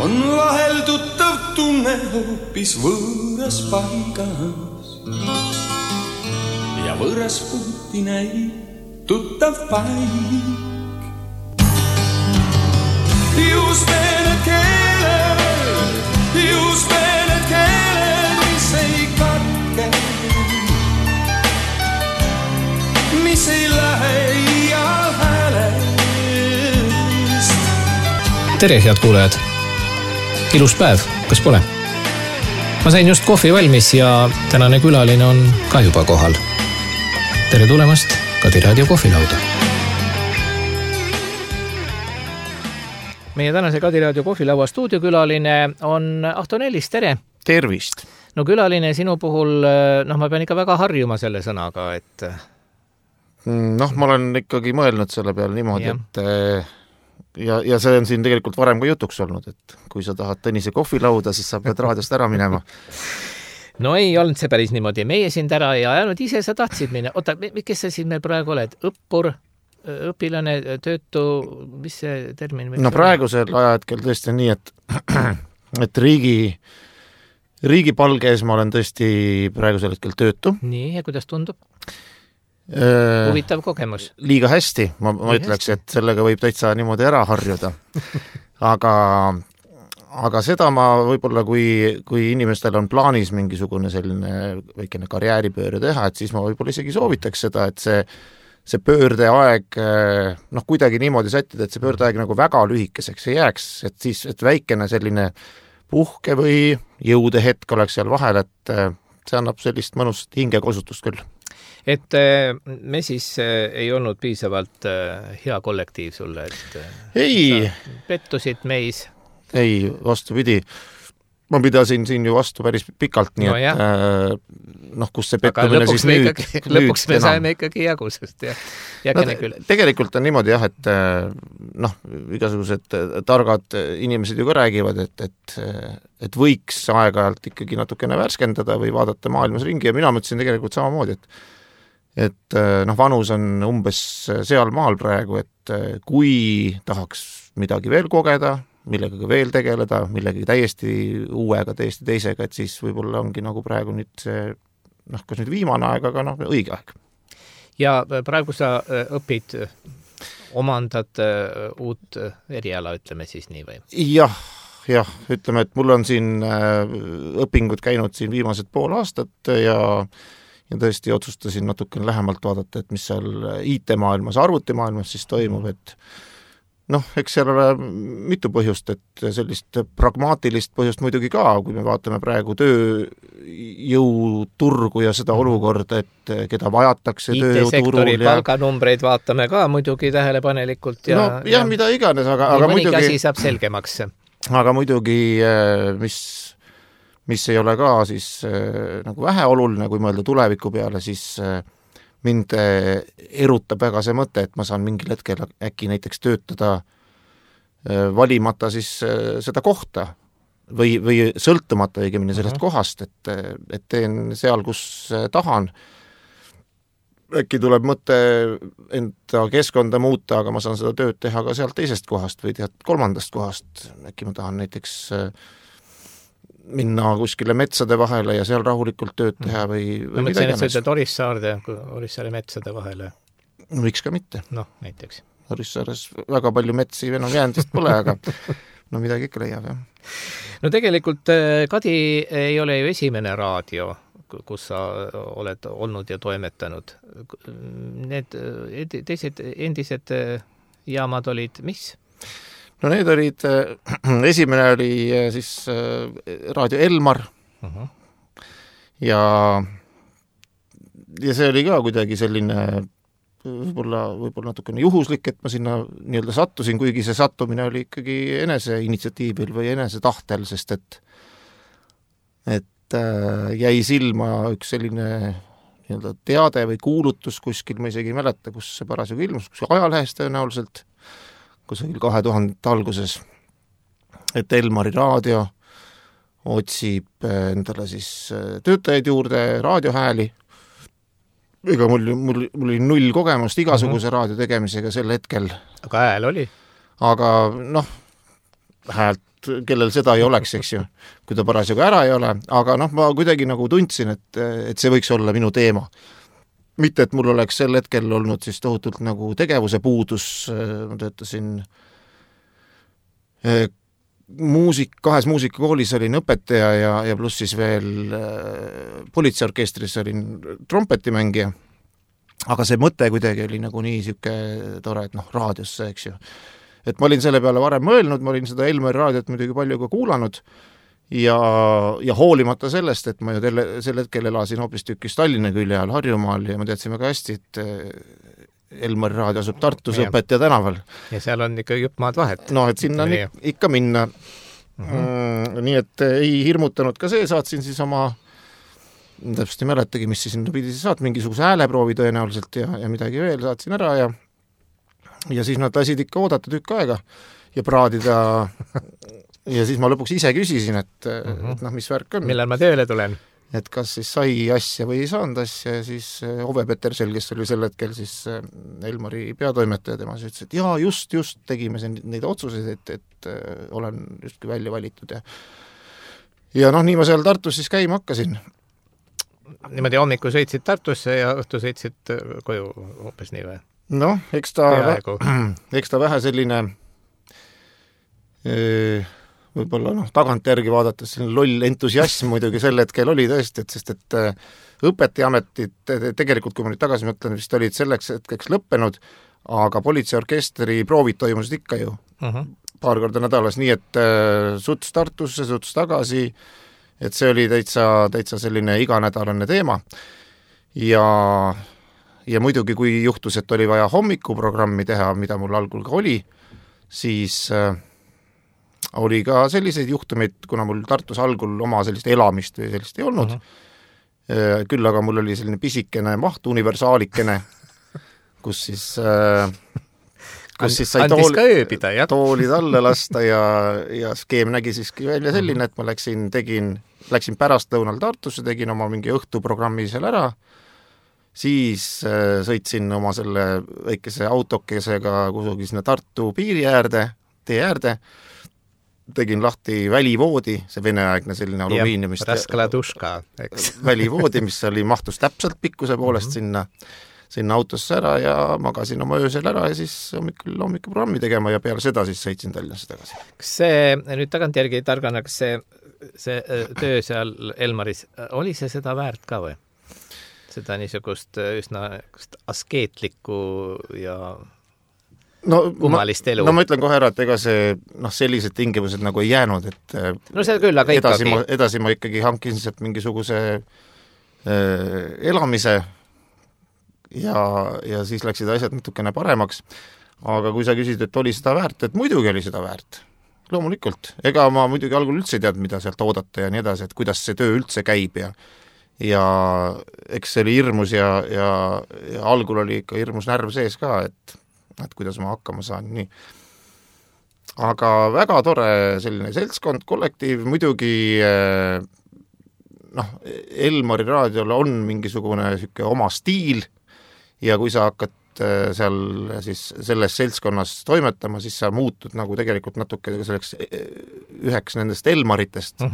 on vahel tuttav tunne hoopis võõras paigas ja võõras puhti näib tuttav paik. Just need keeled, mis ei katke, mis ei lähe iial häälest. Tere, head kuulajad! Ilus päev, kas pole? Ma sain just kohvi valmis ja tänane külaline on ka juba kohal. Tere tulemast Kadi Raadio kohvilauda. Meie tänase Kadi Raadio kohvilaua stuudiokülaline on Ahto Nellis, tere! Tervist! No külaline sinu puhul, ma pean ikka väga harjuma selle sõnaga, et... ma olen ikkagi mõelnud selle peale niimoodi, et ja see on siin tegelikult varem ka jutuks olnud, et kui sa tahad Tõnise kohvilauda, siis sa pead raadiost ära minema. No ei olnud see päris niimoodi. Meie sind ära ja ainult ise sa tahtsid minna. Oota, kes sa siin meil praegu oled? Õppur, õpilane, töötu, mis see termin? No praegusel ajahetkel tõesti nii, et riigi palgees ma olen tõesti praegusel hetkel töötu. Nii, ja kuidas tundub? Huvitav kogemus. Liiga hästi, ma ütleks, et sellega võib täitsa niimoodi ära harjuda. Aga seda ma võib-olla, kui inimestel on plaanis mingisugune selline väikene karjääripööre teha, et siis ma võib-olla isegi soovitaks seda, et see pöördeaeg kuidagi niimoodi sättida, et see pöördeaeg nagu väga lühikeseks ei jääks, et väikene selline puhke või jõudehetk oleks seal vahel, et see annab sellist mõnust hingekosutust küll. Et me siis ei olnud piisavalt hea kollektiiv sulle, et ei. Pettusid meis. Ei, vastupidi. Ma pidasin siin ju vastu päris pikalt, nii et kus see pettumine siis lõpuks me saime ikkagi jagusest. Tegelikult on niimoodi jah, et igasugused targad inimesed ju ka räägivad, et võiks aeg-ajalt ikkagi natukene värskendada või vaadata maailmas ringi ja mina mõtlesin tegelikult samamoodi, et vanus on umbes seal maal praegu, et kui tahaks midagi veel kogeda, millegagi veel tegeleda, millegagi täiesti uuega, täiesti teisega, et siis võib-olla ongi nagu praegu nüüd see, kas nüüd viimane aeg, aga õige aeg. Ja praegu sa õpid, omandad uut eriala, ütleme siis nii või? Jah, ütleme, et mul on siin õpingud käinud siin viimased pool aastat ja tõesti otsustasin natukene lähemalt vaadata, et mis seal IT-maailmas, arvutimaailmas siis toimub, et eks seal ole mitu põhjust, et sellist pragmaatilist põhjust muidugi ka, kui me vaatame praegu tööjõuturgu ja seda olukorda, et keda vajatakse tööjõuturul. IT-sektori palganumbreid vaatame ka muidugi tähelepanelikult. Ja mida iganes, aga muidugi... asi saab selgemaks. Aga muidugi, mis ei ole ka siis nagu vähe oluline, kui mõelda tuleviku peale, siis... mind erutab väga see mõte, et ma saan mingil hetkel äkki näiteks töötada valimata siis seda kohta või sõltumata õigemini sellest kohast, et teen seal, kus tahan. Äkki tuleb mõte enda keskkonda muuta, aga ma saan seda tööd teha ka sealt teisest kohast või kolmandast kohast. Äkki ma tahan näiteks minna kuskile metsade vahele ja seal rahulikult tööd teha või ma mõtlesin, et sa ütled Orissaare metsade vahele. Võiks ka mitte. Näiteks. Orissaares väga palju metsi enam jäändist pole, aga midagi ikka leiab, jah. No tegelikult Kadi ei ole ju esimene raadio, kus sa oled olnud ja toimetanud. Need teised endised jaamad olid mis? No need olid, esimene oli siis Raadio Elmar ja see oli ka kuidagi selline võib-olla natukene juhuslik, et ma sinna nii-öelda sattusin, kuigi see sattumine oli ikkagi enese initsiatiivil või enese tahtel, sest et jäi silma üks selline nii-öelda teade või kuulutus kuskil, ma isegi ei mäleta, kus see parasjagu ilmus, kuskil ajalehes tõenäoliselt, kusagil 2000 alguses, et Elmari raadio otsib endale siis töötajaid juurde, raadiohääli. Ega mul oli null kogemust igasuguse raadio tegemisega sel hetkel. Aga hääl oli? Aga häält, kellel seda ei oleks, eks ju, kui ta parasjagu ära ei ole, aga noh, ma kuidagi nagu tundsin, et see võiks olla minu teema. Mitte, et mul oleks sel hetkel olnud siis tohutult nagu tegevuse puudus, ma töötasin kahes muusikakoolis olin õpetaja ja pluss siis veel politseiorkestris olin trompetimängija, aga see mõte kuidagi oli nagu nii siuke tore, et noh, raadiosse, eks ju. Et ma olin selle peale varem mõelnud, ma olin seda Elmari raadiot muidugi palju ka kuulanud ja hoolimata sellest, et ma ju sel hetkel elasin hoopis tükis Tallinna külje all Harjumaal ja ma teadsin väga hästi, et Elmari raadio asub Tartus Õpetaja tänaval. Ja seal on ikka jupp maad vahet. No, et sinna on ikka minna. Nii et ei hirmutanud ka see, saatsin siis oma täpselt ei mäletagi, mis siis sinna pidi saat, mingisuguse hääleproovi tõenäoliselt ja midagi veel saatsin ära ja siis nad lasid ikka oodata tükk aega ja praadida ja siis ma lõpuks ise küsisin, et noh, mis värk on. Millal ma tööle tulen? Et kas siis sai asja või ei saanud asja ja siis Ove Petersel, kes oli sel hetkel siis Elmari peatoimetaja, tema siis ütles, et jaa, just tegime neid otsuseid, et olen justkui välja valitud ja noh, nii ma seal Tartus siis käima hakkasin. Niimoodi hommiku sõitsid Tartusse ja õhtu sõitsid koju hoopis nii või? Noh, eks ta vähe selline võib-olla noh, tagantjärgi vaadates selline loll entusiasm muidugi sel hetkel oli tõesti, sest et õpetajaametid tegelikult, kui ma nüüd tagasi mõtlen, vist olid selleks hetkeks lõppenud, aga politseiorkestri proovid toimusid ikka ju paar korda nädalas, nii et suts Tartusse, suts tagasi, et see oli täitsa selline iganädalane teema ja muidugi, kui juhtus, et oli vaja hommikuprogrammi teha, mida mul algul ka oli, siis oli ka selliseid juhtumeid, kuna mul Tartus algul oma sellist elamist või sellist ei olnud, küll aga mul oli selline pisikene maht universaalikene, kus siis sai toolid alla lasta ja skeem nägi siiski välja selline, et ma läksin pärastlõunal Tartusse, tegin oma mingi õhtuprogrammi seal ära, siis sõitsin oma selle väikese autokesega kusugi sinna Tartu piiri äärde, tee äärde, tegin lahti välivoodi, see veneaegne selline alumiiniumist välivoodi, mis mahtus täpselt pikkuse poolest sinna autosse ära ja magasin oma öösel ära ja siis hommikuprogrammi tegema ja peale seda siis sõitsin Tallinnasse tagasi. Kas see, nüüd tagantjärgi targana, kas see töö seal Elmaris, oli see seda väärt ka või? Seda niisugust üsna askeetlikku ja kummalist elu. No ma ütlen kohe ära, et ega see sellised tingimused nagu ei jäänud, et no see küll, aga edasi ma ikkagi hankisin sealt mingisuguse elamise ja siis läksid asjad natukene paremaks, aga kui sa küsid, et oli seda väärt, et muidugi oli seda väärt, loomulikult. Ega ma muidugi algul üldse ei teadnud, mida sealt oodata ja nii edasi, et kuidas see töö üldse käib ja eks see oli hirmus ja algul oli ikka hirmus närv sees ka, et kuidas ma hakkama saan, nii. Aga väga tore selline seltskond, kollektiiv, muidugi Elmari raadiol on mingisugune siuke oma stiil ja kui sa hakkad seal siis selles seltskonnas toimetama, siis sa muutud nagu tegelikult natuke selleks üheks nendest Elmaritest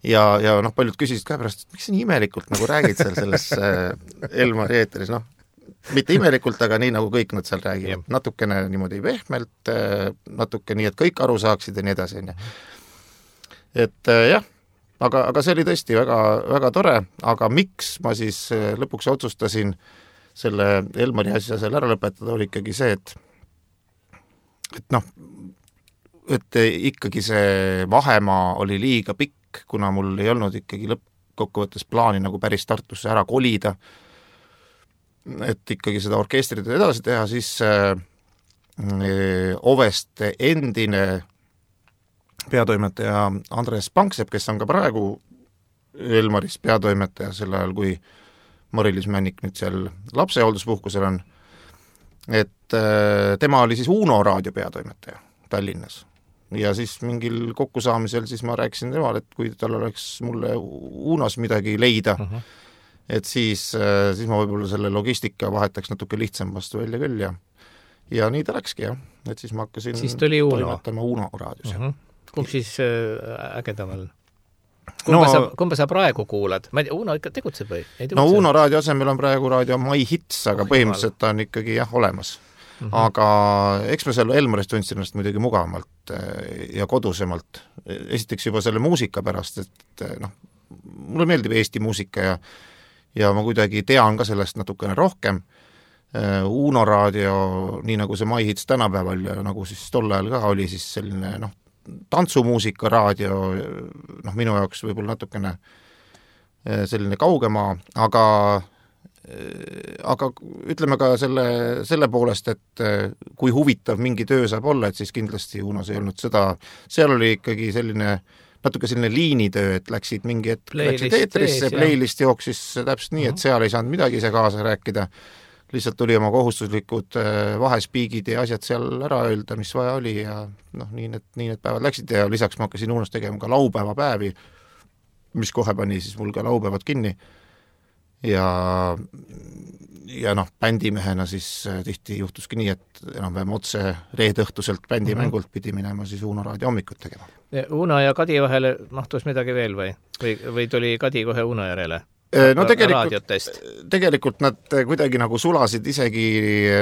ja paljud küsisid ka pärast, miks sa nii imelikult nagu räägid seal selles Elmari eeteris, mitte imelikult, aga nii nagu kõik nad seal räägivad. Natukene niimoodi pehmelt, natuke nii, et kõik aru saaksid ja nii edasi. Et jah, aga see oli tõesti väga, väga tore, aga miks ma siis lõpuks otsustasin selle Elmari asja seal ära lõpetada, oli ikkagi see, et ikkagi see vahemaa oli liiga pikk, kuna mul ei olnud ikkagi lõppkokkuvõttes plaani nagu päris Tartusse ära kolida, et ikkagi seda orkestrit edasi teha, siis Oveste endine peatoimetaja Andres Panksepp, kes on ka praegu Elmaris peatoimetaja sel ajal, kui Mari-Liis Männik nüüd seal lapsehoolduspuhkusel on, et tema oli siis Uno raadio peatoimetaja Tallinnas. Ja siis mingil kokkusaamisel siis ma rääkisin temal, et kui tal oleks mulle Unos midagi leida, et siis ma võib-olla selle logistika vahetaks natuke lihtsam vastu välja küll ja nii ta läkski, jah. Et siis ma hakkasin siis tuli Uno. toimetama Uno raadios. kumb siis ägedam on? Kumba sa praegu kuulad? Ma ei tea, Uno ikka tegutseb või? Uno raadio asemel on praegu raadio My Hits, aga põhimõtteliselt ta on ikkagi olemas. Aga eks ma seal Elmarist tundsin ennast muidugi mugavamalt ja kodusemalt. Esiteks juba selle muusika pärast, et mulle meeldib Eesti muusika ja ma kuidagi tean ka sellest natukene rohkem. Uno raadio, nii nagu see My Hits tänapäeval ja nagu siis tol ajal ka oli siis selline tantsumuusika raadio, minu jaoks võib-olla natukene selline kaugema, aga ütleme ka selle poolest, et kui huvitav mingi töö saab olla, et siis kindlasti Unos ei olnud seda, seal oli ikkagi natuke selline liinitöö, et läksid mingi hetk eetrisse, playlist jooksis täpselt nii, et seal ei saanud midagi ise kaasa rääkida, lihtsalt tuli oma kohustuslikud vahespiigid ja asjad seal ära öelda, mis vaja oli ja nii need päevad läksid ja lisaks ma hakkasin Unos tegema ka laupäevapäevi, mis kohe pani siis mul ka laupäevad kinni. Ja bändimehena siis tihti juhtuski nii, et enam-vähem otse reedõhtuselt bändimängult pidi minema siis Uno raadio hommikut tegema. Uno ja Kadi vahele mahtus midagi veel või tuli Kadi kohe Uno järele? Tegelikult nad kuidagi nagu sulasid isegi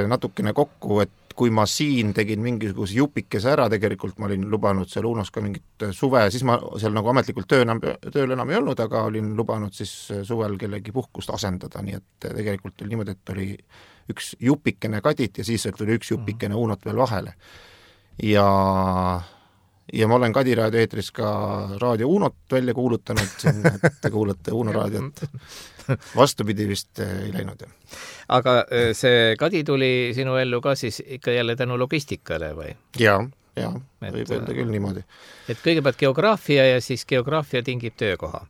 natukene kokku, et kui ma siin tegin mingisuguse jupikese ära, tegelikult ma olin lubanud seal Unos ka mingit suve, siis ma seal nagu ametlikult tööl enam ei olnud, aga olin lubanud siis suvel kellegi puhkust asendada, nii et tegelikult oli niimoodi, et oli üks jupikene Kadit ja siis tuli üks jupikene Unot veel vahele. Ja ma olen Kadi raadio eetris ka raadio Unot välja kuulutanud, et te kuulate Uno raadiot. Vastupidi vist ei läinud. Aga see Kadi tuli sinu ellu ka siis ikka jälle tänu logistikale või? Jaa, võib öelda küll niimoodi. Et kõigepealt geograafia ja siis geograafia tingib töökoha?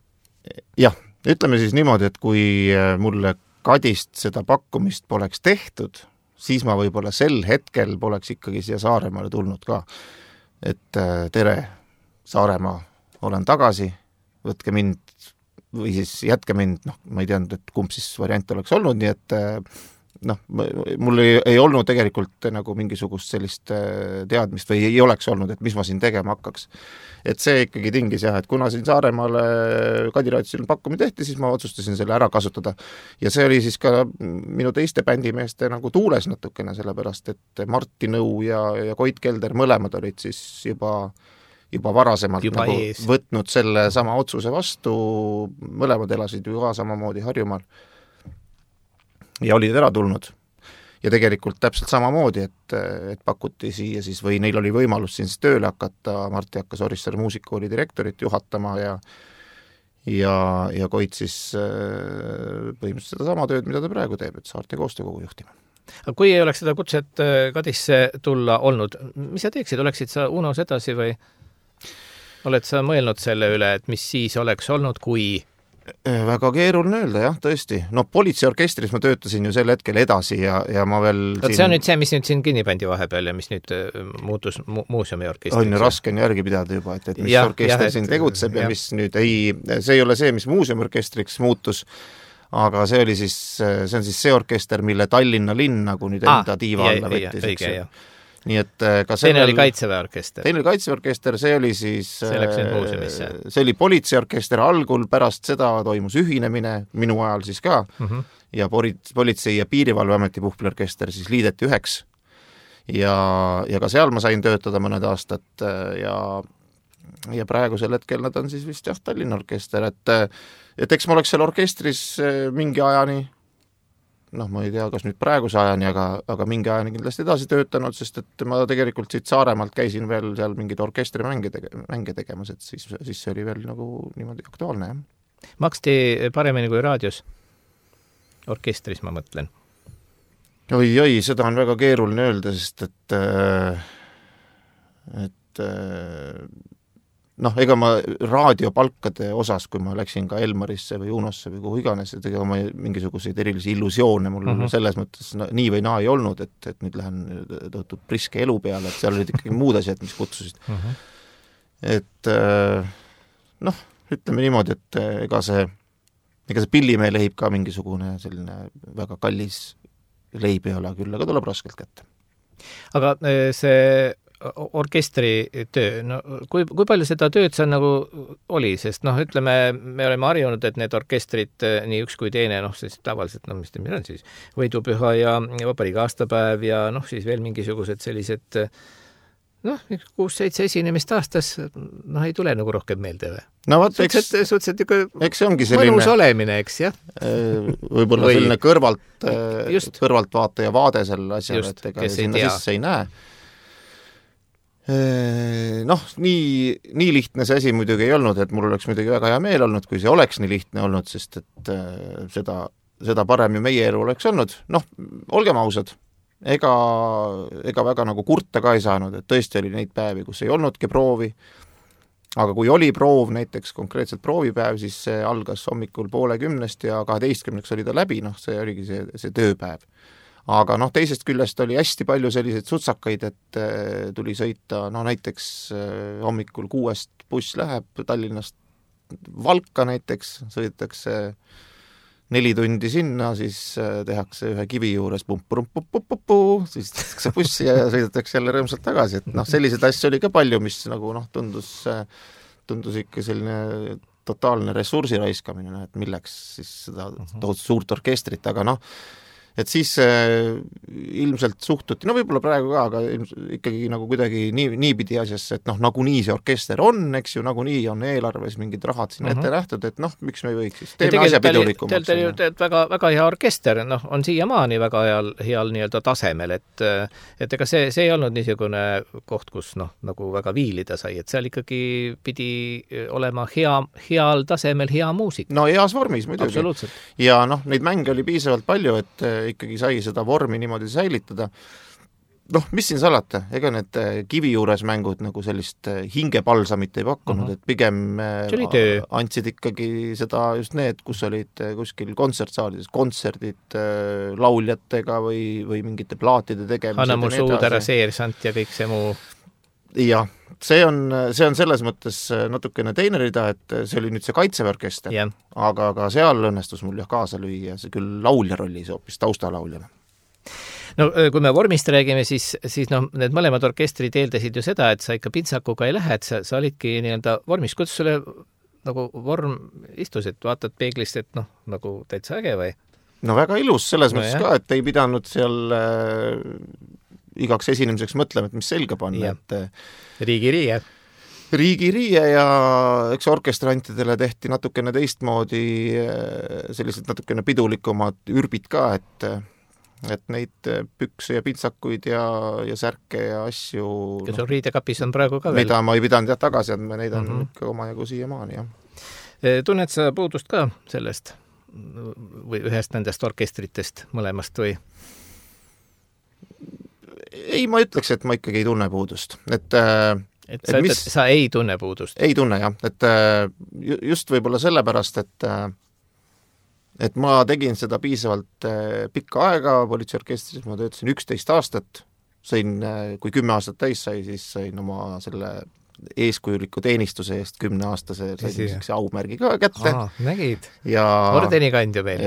Jah, ütleme siis niimoodi, et kui mulle Kadist seda pakkumist poleks tehtud, siis ma võib-olla sel hetkel poleks ikkagi siia Saaremaale tulnud ka. Et tere, Saaremaa, olen tagasi, võtke mind või siis jätke mind, ma ei teadnud, et kumb siis variant oleks olnud, nii et mul ei olnud tegelikult nagu mingisugust sellist teadmist või ei oleks olnud, et mis ma siin tegema hakkaks. Et see ikkagi tingis et kuna siin Saaremaale Kadi raadiosil pakkumine tehti, siis ma otsustasin selle ära kasutada. Ja see oli siis ka minu teiste bändimeeste nagu tuules natukene, sellepärast, et Martti Nõu ja Koit Kelder mõlemad olid siis juba varasemalt nagu võtnud selle sama otsuse vastu, mõlemad elasid ju ka samamoodi Harjumaal ja olid ära tulnud. Ja tegelikult täpselt samamoodi, et pakuti siia siis või neil oli võimalus siin siis tööle hakata, Martti hakkas Orissaare muusikooli direktorit juhatama ja Koit siis põhimõtteliselt seda sama tööd, mida ta praegu teeb, et Saarte koostöökogu juhtima. Aga kui ei oleks seda kutset Kadisse tulla olnud, mis sa teeksid? Oleksid sa Unos edasi või oled sa mõelnud selle üle, et mis siis oleks olnud, kui väga keeruline öelda, jah, tõesti. Politseiorkestris ma töötasin ju sel hetkel edasi ja ma veel see on nüüd see, mis nüüd siin kinnipandi vahepeal ja mis nüüd muutus muuseumiorkestriks. On ju raske järgi pidada juba, et mis orkester siin tegutseb ja mis nüüd see ei ole see, mis muuseumiorkestriks muutus, aga see oli siis, see on siis see orkester, mille Tallinna linn nagu nüüd enda tiiva alla võttis. Nii et ka teine oli Kaitseväeorkester. Teine oli Kaitseväeorkester, see oli siis see läks nüüd muuseumisse. See oli politseiorkester algul, pärast seda toimus ühinemine, minu ajal siis ka, ja politsei- ja piirivalveameti puhvliorkester siis liideti üheks. Ja ka seal ma sain töötada mõned aastat ja praegusel hetkel nad on siis vist Tallinna orkester, et eks ma oleks seal orkestris mingi ajani, ma ei tea, kas nüüd praeguse ajani, aga mingi ajani kindlasti edasi töötanud, sest et ma tegelikult siit Saaremaalt käisin veel seal mingid orkestrimänge tegemas, et siis see oli veel nagu niimoodi aktuaalne, jah. Maksti paremini kui raadios? Orkestris, ma mõtlen. Oi, seda on väga keeruline öelda, sest et ega ma raadiopalkade osas, kui ma läksin ka Elmarisse või Unosse või kuhu iganes, et ega ma mingisuguseid erilisi illusioone mul selles mõttes nii või naa ei olnud, et nüüd lähen tõotud priske elu peale, et seal olid ikkagi muud asjad, mis kutsusid. Et ütleme niimoodi, et ega see Pillimee leib ka mingisugune selline väga kallis leib ei ole, küll aga tuleb raskelt kätte. Aga see orkestri töö, no kui palju seda tööd seal nagu oli, sest noh, ütleme, me oleme harjunud, et need orkestrid, nii üks kui teine, noh, siis tavaliselt, no mis on siis, võidupüha ja vabariigi aastapäev ja noh, siis veel mingisugused sellised, noh, 6-7 esinemist aastas, noh, ei tule nagu rohkem meelde või? No vaat, suhteliselt eks see ongi selline mõnus olemine, eks, jah? Võib-olla selline kõrvaltvaataja vaade selle asjale, et ega sinna sisse ei näe. Noh, nii lihtne see asi muidugi ei olnud, et mul oleks muidugi väga hea meel olnud, kui see oleks nii lihtne olnud, sest et seda parem ju meie elu oleks olnud. Noh, olgem ausad, ega väga nagu kurta ka ei saanud, et tõesti oli neid päevi, kus ei olnudki proovi, aga kui oli proov, näiteks konkreetselt proovipäev, siis see algas hommikul 9:30 ja 12 oli ta läbi, noh, see oligi see tööpäev. Aga noh, teisest küljest oli hästi palju selliseid sutsakaid, et tuli sõita, no näiteks hommikul 6 buss läheb Tallinnast Valka näiteks, sõidetakse 4 tundi sinna, siis tehakse ühe kivi juures siis tehakse bussi ja sõidetakse jälle rõõmsalt tagasi, et noh, selliseid asju oli ka palju, mis nagu noh, tundus ikka selline totaalne ressursi raiskamine, et milleks siis seda suurt orkestrit, aga noh, et siis ilmselt suhtuti, no võib-olla praegu ka, aga ikkagi nagu kuidagi niipidi asjasse, et noh, nagunii see orkester on, eks ju, nagunii on eelarves mingid rahad sinna ette nähtud, et noh, miks me ei võiks siis teeme asja pidulikumaks. Teil ju väga hea orkester, noh, on siiamaani väga heal nii-öelda tasemel, et ega see ei olnud niisugune koht, kus noh, nagu väga viilida sai, et seal ikkagi pidi olema heal tasemel hea muusik. No heas vormis muidugi. Absoluutselt. Ja noh, neid mänge oli piisavalt palju, et ikkagi sai seda vormi niimoodi säilitada. Noh, mis siin salata, ega need kivi juures mängud nagu sellist hingepalsamit ei pakkunud, et pigem andsid ikkagi seda just need, kus olid kuskil kontsertsaalides, kontserdid lauljatega või mingite plaatide tegemised. Anna mu suudara seersant ja kõik see muu. Jah, see on selles mõttes natukene teine rida, et see oli nüüd see kaitseväeorkester, aga seal õnnestus mul jah kaasa lüüa, see küll laulja rollis hoopis taustalauljana. No kui me vormist räägime, siis noh, need mõlemad orkestrid eeldasid ju seda, et sa ikka pintsakuga ei lähe, et sa olidki nii-öelda vormis. Kuidas sulle nagu vorm istus, et vaatad peeglist, et noh, nagu täitsa äge või? No väga ilus selles mõttes ka, et ei pidanud seal igaks esinemiseks mõtlema, et mis selga panna. Riigiriie ja eks orkestrantidele tehti natukene teistmoodi sellised natukene pidulikumad ürbid ka, et neid pükse ja pintsakuid ja särke ja asju. Ja sul riidekapis on praegu ka veel. Mida ma ei pidanud tagasi andma, neid on ikka omajagu siiamaani, jah. Tunned sa puudust ka sellest või ühest nendest orkestritest mõlemast või? Ei, ma ütleks, et ma ikkagi ei tunne puudust. Sa ei tunne puudust? Ei tunne, jah. Et just võib-olla sellepärast, et ma tegin seda piisavalt pikka aega politseiorkestris, ma töötasin 11 aastat, kui 10 aastat täis sai, siis sain oma selle eeskujuliku teenistuse eest 10-aastase sain aumärgi ka kätte. Nägid? Ordeni kandja meil.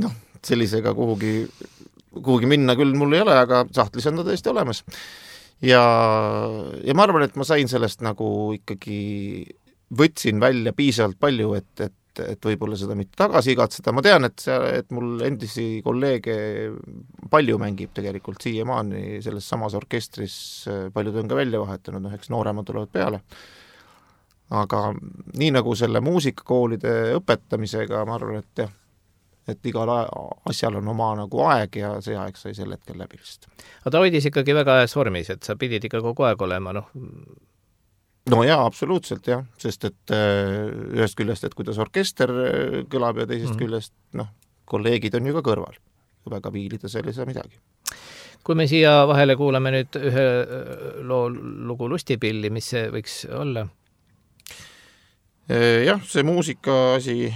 Noh, sellisega kuhugi minna küll mul ei ole, aga sahtlis on ta tõesti olemas. Ja ma arvan, et ma sain sellest nagu ikkagi võtsin välja piisavalt palju, et võib-olla seda mitte tagasi igatseda. Ma tean, et mul endisi kolleege palju mängib tegelikult siiamaani selles samas orkestris, paljud on ka välja vahetanud, eks nooremad tulevad peale. Aga nii nagu selle muusikakoolide õpetamisega, ma arvan, et jah, et igal asjal on oma nagu aeg ja see aeg sai sel hetkel läbi lihtsalt. Aga ta hoidis ikkagi väga heas vormis, et sa pidid ikka kogu aeg olema, noh? No jaa, absoluutselt jah, sest et ühest küljest, et kuidas orkester kõlab ja teisest küljest, noh, kolleegid on ju ka kõrval. Väga viilida seal ei saa midagi. Kui me siia vahele kuulame nüüd ühe lugu Lustipilli, mis see võiks olla? Jah, see muusika asi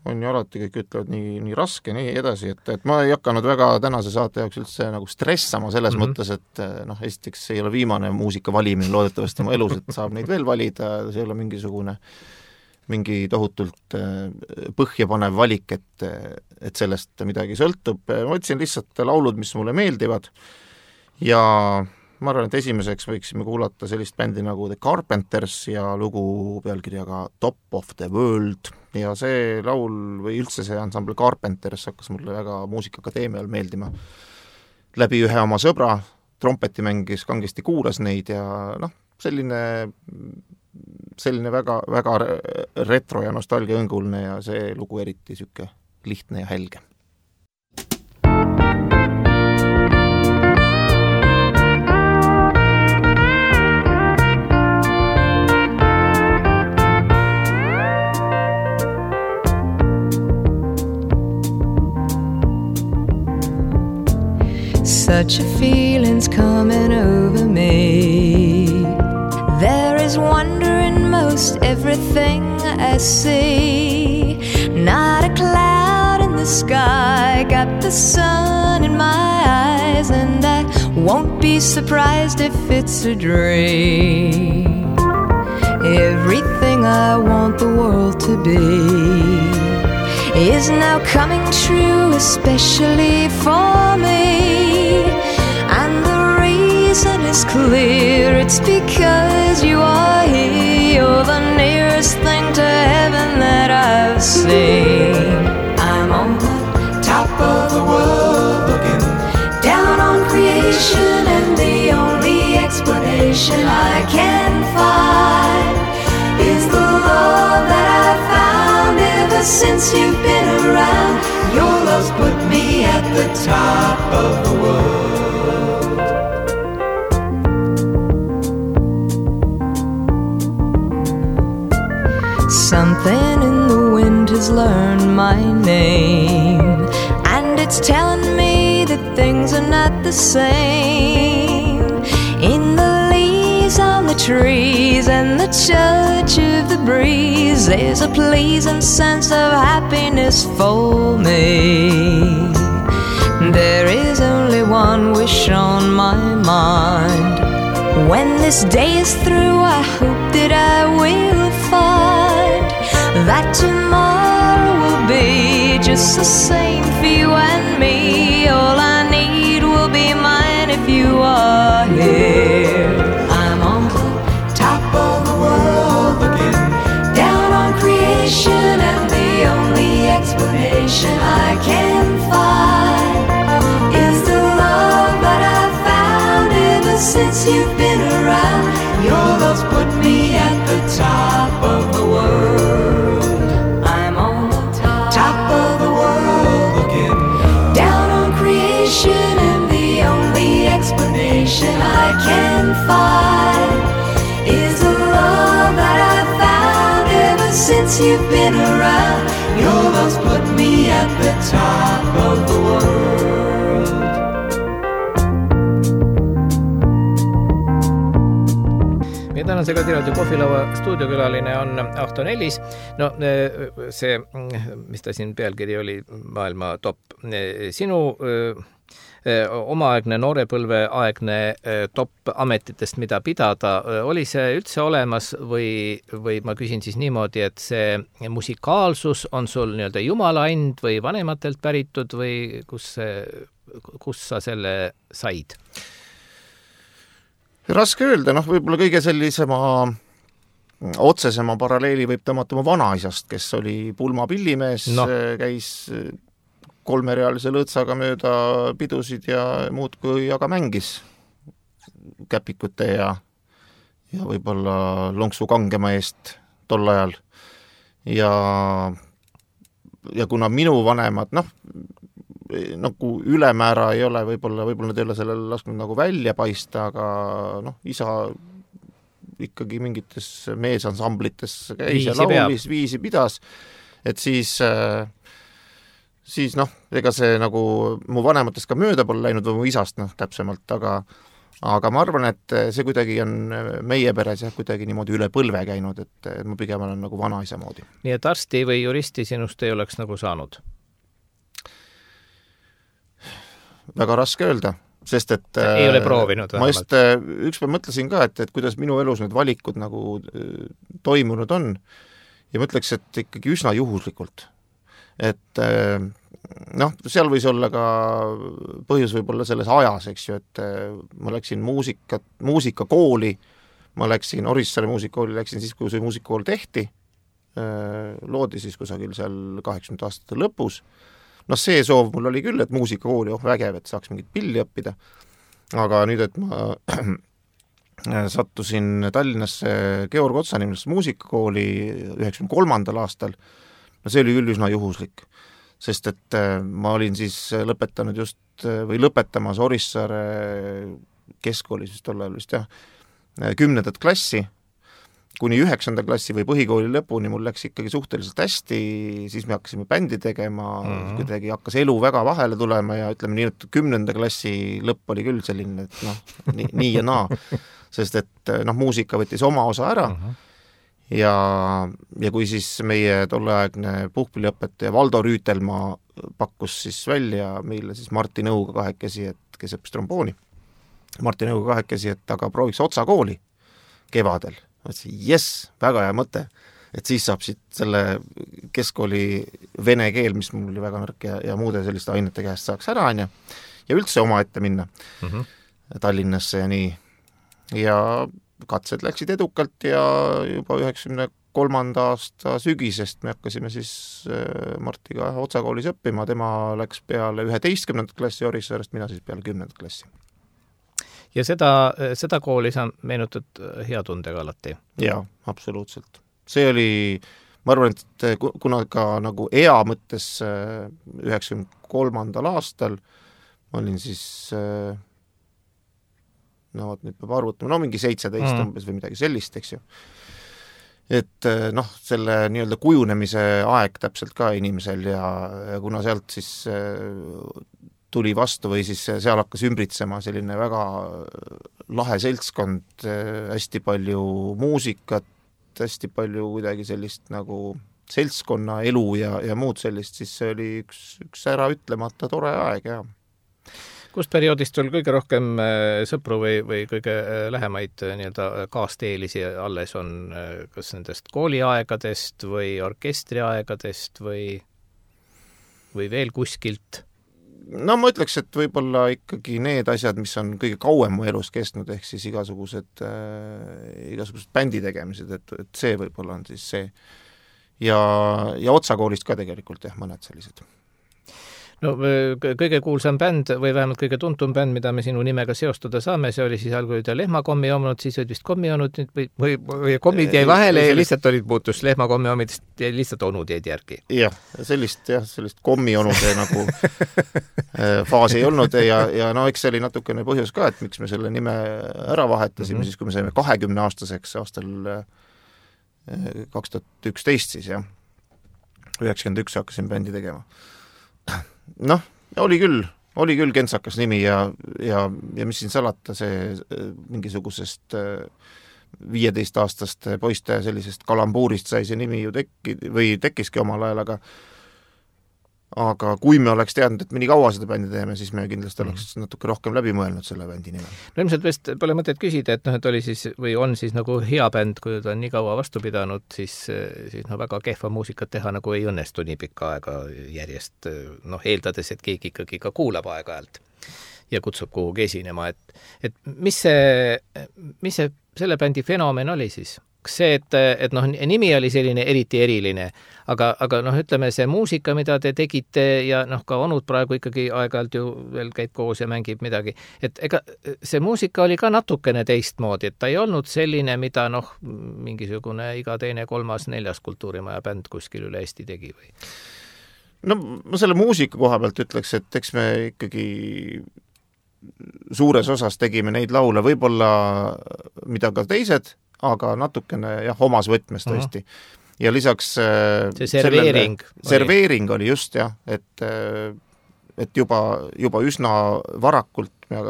on ju alati, kõik ütlevad nii raske, nii edasi, et ma ei hakanud väga tänase saate jaoks üldse nagu stressama selles mõttes, et noh, esiteks ei ole viimane muusika valimine loodetavasti oma elus, et saab neid veel valida, see ei ole mingi tohutult põhjapanev valik, et sellest midagi sõltub. Ma võtsin lihtsalt laulud, mis mulle meeldivad ja ma arvan, et esimeseks võiksime kuulata sellist bändi nagu The Carpenters ja lugu pealkirjaga Top of the World ja see laul või üldse see ansambel Carpenters hakkas mulle väga Muusikaakadeemial meeldima. Läbi ühe oma sõbra, trompeti mängis, kangesti kuulas neid ja selline väga, väga retro ja nostalgia õngulne ja see lugu eriti süke lihtne ja helge. Such a feeling's coming over me. There is wonder in most everything I see. Not a cloud in the sky, got the sun in my eyes, and I won't be surprised if it's a dream. Everything I want the world to be is now coming true, especially for me. And the reason is clear, it's because you are here. You're the nearest thing to heaven that I've seen. I'm on the top of the world, looking down on creation, and the only explanation I can find is the love that I've found ever since you've been around. Your love's put me at the top of the world. Something in the wind has learned my name, and it's telling me that things are not the same. In the leaves on the trees and the touch of the breeze, there's a pleasing sense of happiness for me. There is only one wish on my mind. When this day is through, I hope that I will find that tomorrow will be just the same for you and me. All I need will be mine if you are here. I'm on the top of the world, looking down on creation, and the only explanation I can find is the love that I've found ever since you've been around. Your love's put me at the top of the world. I'm on the top of the world, looking down on creation, and the only explanation I can find is the love that I've found ever since you've been around. Your love's put me at the top of the world. Meie tänase Kadiraadio kohvilaua stuudiokülaline on Ahto Nellis. No see, mis ta siin pealkiri oli, maailma top. Sinu omaaegne noorepõlveaegne top ametitest, mida pidada, oli see üldse olemas või ma küsin siis niimoodi, et see musikaalsus on sul nii-öelda jumala and või vanematelt päritud või kus sa selle said? Raske öelda, võib-olla kõige sellisema otsesema paralleeli võib tõmmata oma vanaisast, kes oli pulmapillimees, käis kolmerealise lõõtsaga mööda pidusid ja muud kui aga mängis käpikute ja võib-olla lonksu kangema eest tol ajal. Ja kuna minu vanemad, nagu ülemäära ei ole, võib-olla nad ei ole sellele lasknud nagu välja paista, aga isa ikkagi mingites meesansamblites käis ja laulis, viisi pidas, et siis ega see nagu mu vanematest ka mööda pole läinud või mu isast täpsemalt, aga ma arvan, et see kuidagi on meie peres kuidagi niimoodi üle põlve käinud, et ma pigem olen nagu vanaisa moodi. Nii et arsti või juristi sinust ei oleks nagu saanud? Väga raske öelda, sest et ei ole proovinud ma just ükspäev mõtlesin ka, et kuidas minu elus need valikud nagu toimunud on ja mõtleks, et ikkagi üsna juhuslikult. et noh, seal võis olla ka põhjus võib-olla selles ajas, eks ju, et ma läksin muusikakooli, ma läksin Orissaare muusikakooli, läksin siis, kui see muusikakool tehti, loodi siis kusagil seal 80 aastate lõpus. Noh, see soov mul oli küll, et muusikakooli, vägev, et saaks mingit pilli õppida, aga nüüd, et ma sattusin Tallinnasse Georg Otsa nimelisse muusikakooli 93. aastal, no see oli küll üsna juhuslik, sest et ma olin siis lõpetanud või lõpetamas Orissaare keskkooli, siis tol ajal vist 10. klassi, kuni 9. klassi või põhikooli lõpuni mul läks ikkagi suhteliselt hästi, siis me hakkasime bändi tegema, kuidagi hakkas elu väga vahele tulema ja ütleme nii, et 10. klassi lõpp oli küll selline, et noh, nii ja naa, sest et noh, muusika võttis oma osa ära ja kui siis meie tolleaegne puhkpilliõpetaja Valdo Rüütelmaa pakkus siis välja meile siis Martti Nõuga kahekesi, et kes õppis trombooni, Martti Nõuga kahekesi, et aga prooviks Otsa kooli kevadel. Mõtlesin, jess, väga hea mõte, et siis saab siit selle keskkooli vene keel, mis mul oli väga nõrk ja muude selliste ainete käest saaks ära, ja üldse omaette minna Tallinnasse ja nii. Ja katsed läksid edukalt ja juba 93. aasta sügisest me hakkasime siis Martiga Otsa koolis õppima, tema läks peale 11. klassi Orissaarest, mina siis peale 10. klassi. Ja seda kooli sa meenutad hea tundega alati? Jaa, absoluutselt. See oli, ma arvan, et kuna ka nagu ea mõttes 93. aastal ma olin siis no nüüd peab arvutama, no mingi 17 umbes või midagi sellist, eks ju. Et noh, selle nii-öelda kujunemise aeg täpselt ka inimesel ja kuna sealt siis tuli vastu või siis seal hakkas ümbritsema selline väga lahe seltskond, hästi palju muusikat, hästi palju kuidagi sellist nagu seltskonna elu ja muud sellist, siis see oli üks ära ütlemata tore aeg, jah. Kust perioodist sul kõige rohkem sõpru või kõige lähemaid nii-öelda kaasteelisi alles on, kas nendest kooliaegadest või orkestriaegadest või veel kuskilt? No ma ütleks, et võib-olla ikkagi need asjad, mis on kõige kauem mu elus kestnud, ehk siis igasugused bändi tegemised, et see võib-olla on siis see. Ja Otsa koolist ka tegelikult, mõned sellised. No kõige kuulsam bänd või vähemalt kõige tuntum bänd, mida me sinu nimega seostada saame, see oli siis algul lehmakommi omanud, siis olid vist kommi olnud või kommid jäi vahele ja lihtsalt muutus lehmakommi omidest ja lihtsalt onud jäid järgi. Jah, sellist kommi onude nagu faas ei olnud ja no eks see oli natukene põhjus ka, et miks me selle nime ära vahetasime, siis kui me saime 20-aastaseks aastal 2011 siis, 91 hakkasin bändi tegema. Noh, oli küll kentsakas nimi ja mis siin salata, see mingisugusest 15-aastaste poiste sellisest kalambuurist sai see nimi ju tekkiski omal ajal, aga kui me oleks teadnud, et me nii kaua seda bändi teeme, siis me kindlasti oleks natuke rohkem läbi mõelnud selle bändi nime. No ilmselt vist pole mõtet küsida, et oli siis või on siis nagu hea bänd, kui ta on nii kaua vastu pidanud, siis väga kehva muusikat teha nagu ei õnnestu nii pikka aega järjest, eeldades, et keegi ikkagi ka kuulab aeg-ajalt ja kutsub kuhugi esinema, et mis see selle bändi fenomen oli siis? See, et nimi oli selline eriti eriline, aga ütleme see muusika, mida te tegite ja ka onud praegu ikkagi aeg-ajalt ju veel käib koos ja mängib midagi, et ega see muusika oli ka natukene teistmoodi, et ta ei olnud selline, mida mingisugune iga teine, kolmas, neljas kultuurimaja bänd kuskil üle Eesti tegi või? No ma selle muusika koha pealt ütleks, et eks me ikkagi suures osas tegime neid laule, võib-olla mida ka teised, aga natukene omas võtmes tõesti. Ja lisaks see serveering oli just, et juba üsna varakult me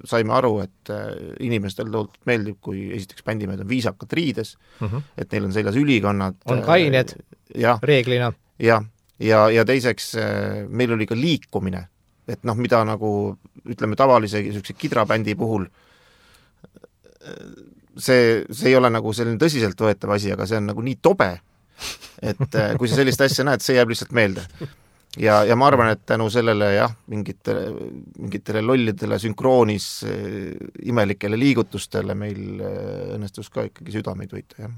saime aru, et inimestel tohutult meeldib, kui esiteks bändimehed on viisakad riides, et neil on seljas ülikonnad. On kained reeglina. Ja teiseks meil oli ka liikumine, et mida nagu ütleme tavalise kidrabändi puhul see ei ole nagu selline tõsiselt võetav asi, aga see on nagu nii tobe, et kui sa sellist asja näed, see jääb lihtsalt meelde. Ja ma arvan, et tänu sellele jah, mingitele lollidele sünkroonis imelikele liigutustele meil õnnestus ka ikkagi südameid võita, jah.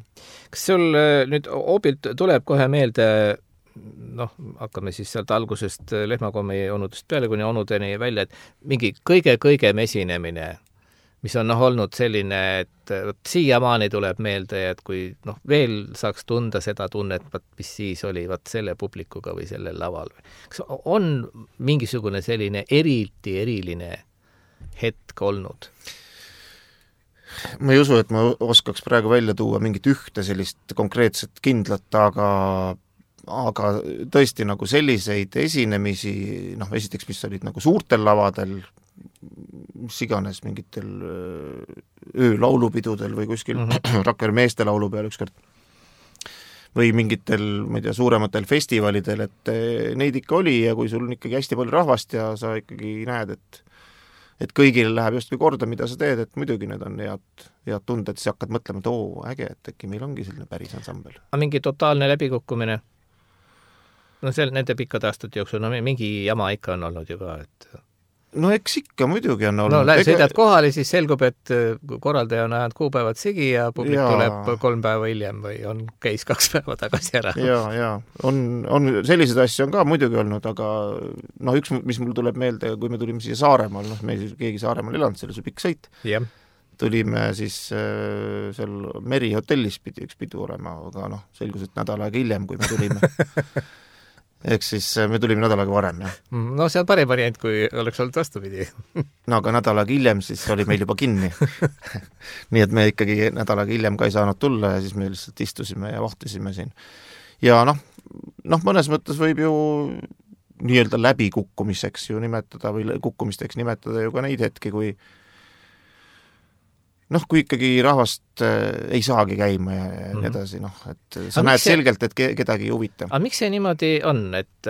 Kas sul nüüd hoobilt tuleb kohe meelde, hakkame siis sealt algusest lehmakommi onudest peale kuni onudeni välja, et mingi kõige esinemine, mis on olnud selline, et siiamaani tuleb meelde, et kui veel saaks tunda seda tunnet, mis siis oli selle publikuga või sellel laval. Kas on mingisugune selline eriline hetk olnud? Ma ei usu, et ma oskaks praegu välja tuua mingit ühte sellist konkreetset kindlat, aga tõesti nagu selliseid esinemisi, esiteks, mis olid nagu suurtel lavadel, mis iganes mingitel öölaulupidudel või kuskil Rakvere meeste laulu peal ükskord või mingitel, ma ei tea, suurematel festivalidel, et neid ikka oli ja kui sul on ikkagi hästi palju rahvast ja sa ikkagi näed, et kõigile läheb justkui korda, mida sa teed, et muidugi need on head tunded, siis hakkad mõtlema, et äge, et äkki meil ongi selline päris ansambel. Aga mingi totaalne läbikukkumine? Nende pikkade aastate jooksul, mingi jama ikka on olnud ju ka, et eks ikka muidugi on olnud. Sõidad kohale, siis selgub, et korraldaja on ajanud kuupäevad sigi ja publik tuleb 3 päeva hiljem või käis 2 päeva tagasi ära. Ja. On selliseid asju on ka muidugi olnud, aga üks, mis mul tuleb meelde, kui me tulime siia Saaremaal, me keegi Saaremaal elanud, selle see pikk sõit. Yeah. Tulime siis seal Merihotellis pidi üks pidu olema, aga selgus, et nädal aega hiljem, kui me tulime. Ehk siis me tulime nädal aega varem, jah. See on parem variant, kui oleks olnud vastupidi. Aga nädal aega hiljem siis oli meil juba kinni. Nii et me ikkagi nädal aega hiljem ka ei saanud tulla ja siis me lihtsalt istusime ja vahtisime siin. Ja mõnes mõttes võib ju nii-öelda läbikukkumiseks ju nimetada või kukkumisteks nimetada ju ka neid hetki, kui ikkagi rahvast ei saagi käima ja nii edasi, et sa näed selgelt, et kedagi ei huvita. Aga miks see niimoodi on, et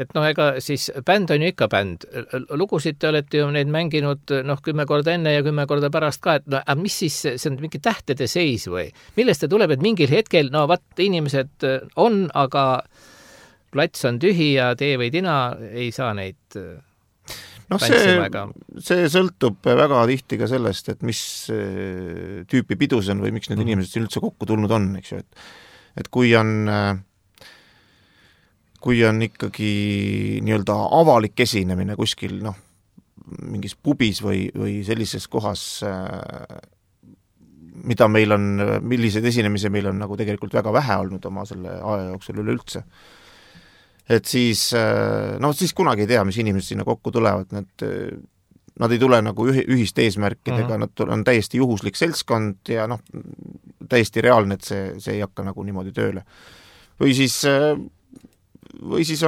ega siis bänd on ju ikka bänd. Lugusid te olete ju neid mänginud 10 korda enne ja 10 korda pärast ka, et aga mis siis, see on mingi tähtede seis või? Millest te tuleb, et mingil hetkel, inimesed on, aga plats on tühi ja tee või tina ei saa neid see sõltub väga tihti ka sellest, et mis tüüpi pidu see on või miks need inimesed siin üldse kokku tulnud on, eks ju, et kui on ikkagi nii-öelda avalik esinemine kuskil, mingis pubis või sellises kohas, milliseid esinemisi meil on nagu tegelikult väga vähe olnud oma selle aja jooksul üleüldse. Et siis kunagi ei tea, mis inimesed sinna kokku tulevad, nad ei tule nagu ühiste eesmärkidega, nad on täiesti juhuslik seltskond ja täiesti reaalne, et see ei hakka nagu niimoodi tööle. Või siis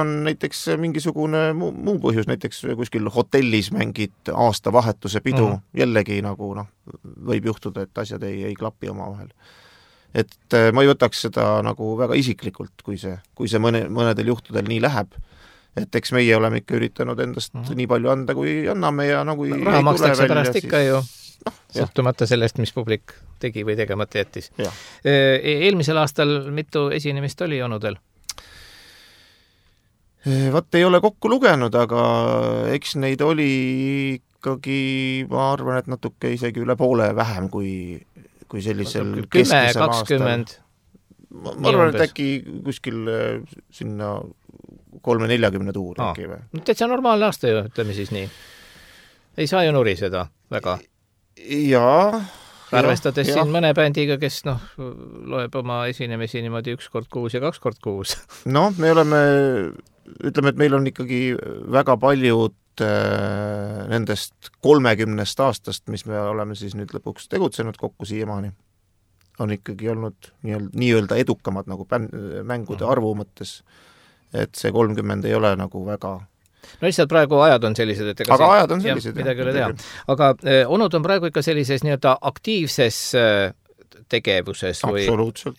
on näiteks mingisugune muu põhjus, näiteks kuskil hotellis mängid aastavahetuse pidu, jällegi nagu võib juhtuda, et asjad ei klapi omavahel. Et ma ei võtaks seda nagu väga isiklikult, kui see mõnedel juhtudel nii läheb. Et eks meie oleme ikka üritanud endast nii palju anda, kui anname ja kui raha makstakse pärast ikka ju, sõltumata sellest, mis publik tegi või tegemata jättis. Eelmisel aastal mitu esinemist oli onudel? Ei ole kokku lugenud, aga eks neid oli ikkagi, ma arvan, et natuke isegi üle poole vähem kui sellisel 10-20. Ma arvan, et äkki kuskil sinna 30-40 tuuri äkki või? Täitsa normaalne aasta ju, ütleme siis nii. Ei saa ju nuriseda väga. Jaa. Arvestades siin mõne bändiga, kes loeb oma esinemisi niimoodi 1 kord kuus ja 2 kord kuus. Me oleme, ütleme, et meil on ikkagi väga paljud nendest 30 aastast, mis me oleme siis nüüd lõpuks tegutsenud kokku siiamaani, on ikkagi olnud nii-öelda edukamad nagu mängude arvu mõttes, et see 30 ei ole nagu väga... lihtsalt praegu ajad on sellised, et ajad on sellised, midagi ei ole teha. Aga onud on praegu ikka sellises nii-öelda aktiivses tegevuses või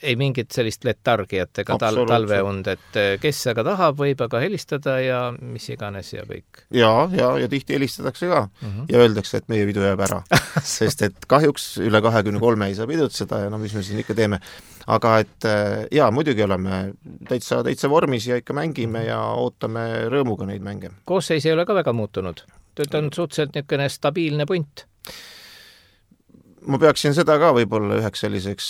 ei mingit sellist letargiat ega talveund, et kes aga tahab, võib aga helistada ja mis iganes ja kõik. Ja tihti helistatakse ka ja öeldakse, et meie pidu jääb ära. Sest et kahjuks üle 23 ei saa pidutseda ja mis me siin ikka teeme. Aga et muidugi oleme täitsa vormis ja ikka mängime ja ootame rõõmuga neid mänge. Koosseis ei ole ka väga muutunud. Tööd on suhteliselt niisugune stabiilne punt. Ma peaksin seda ka võib-olla üheks selliseks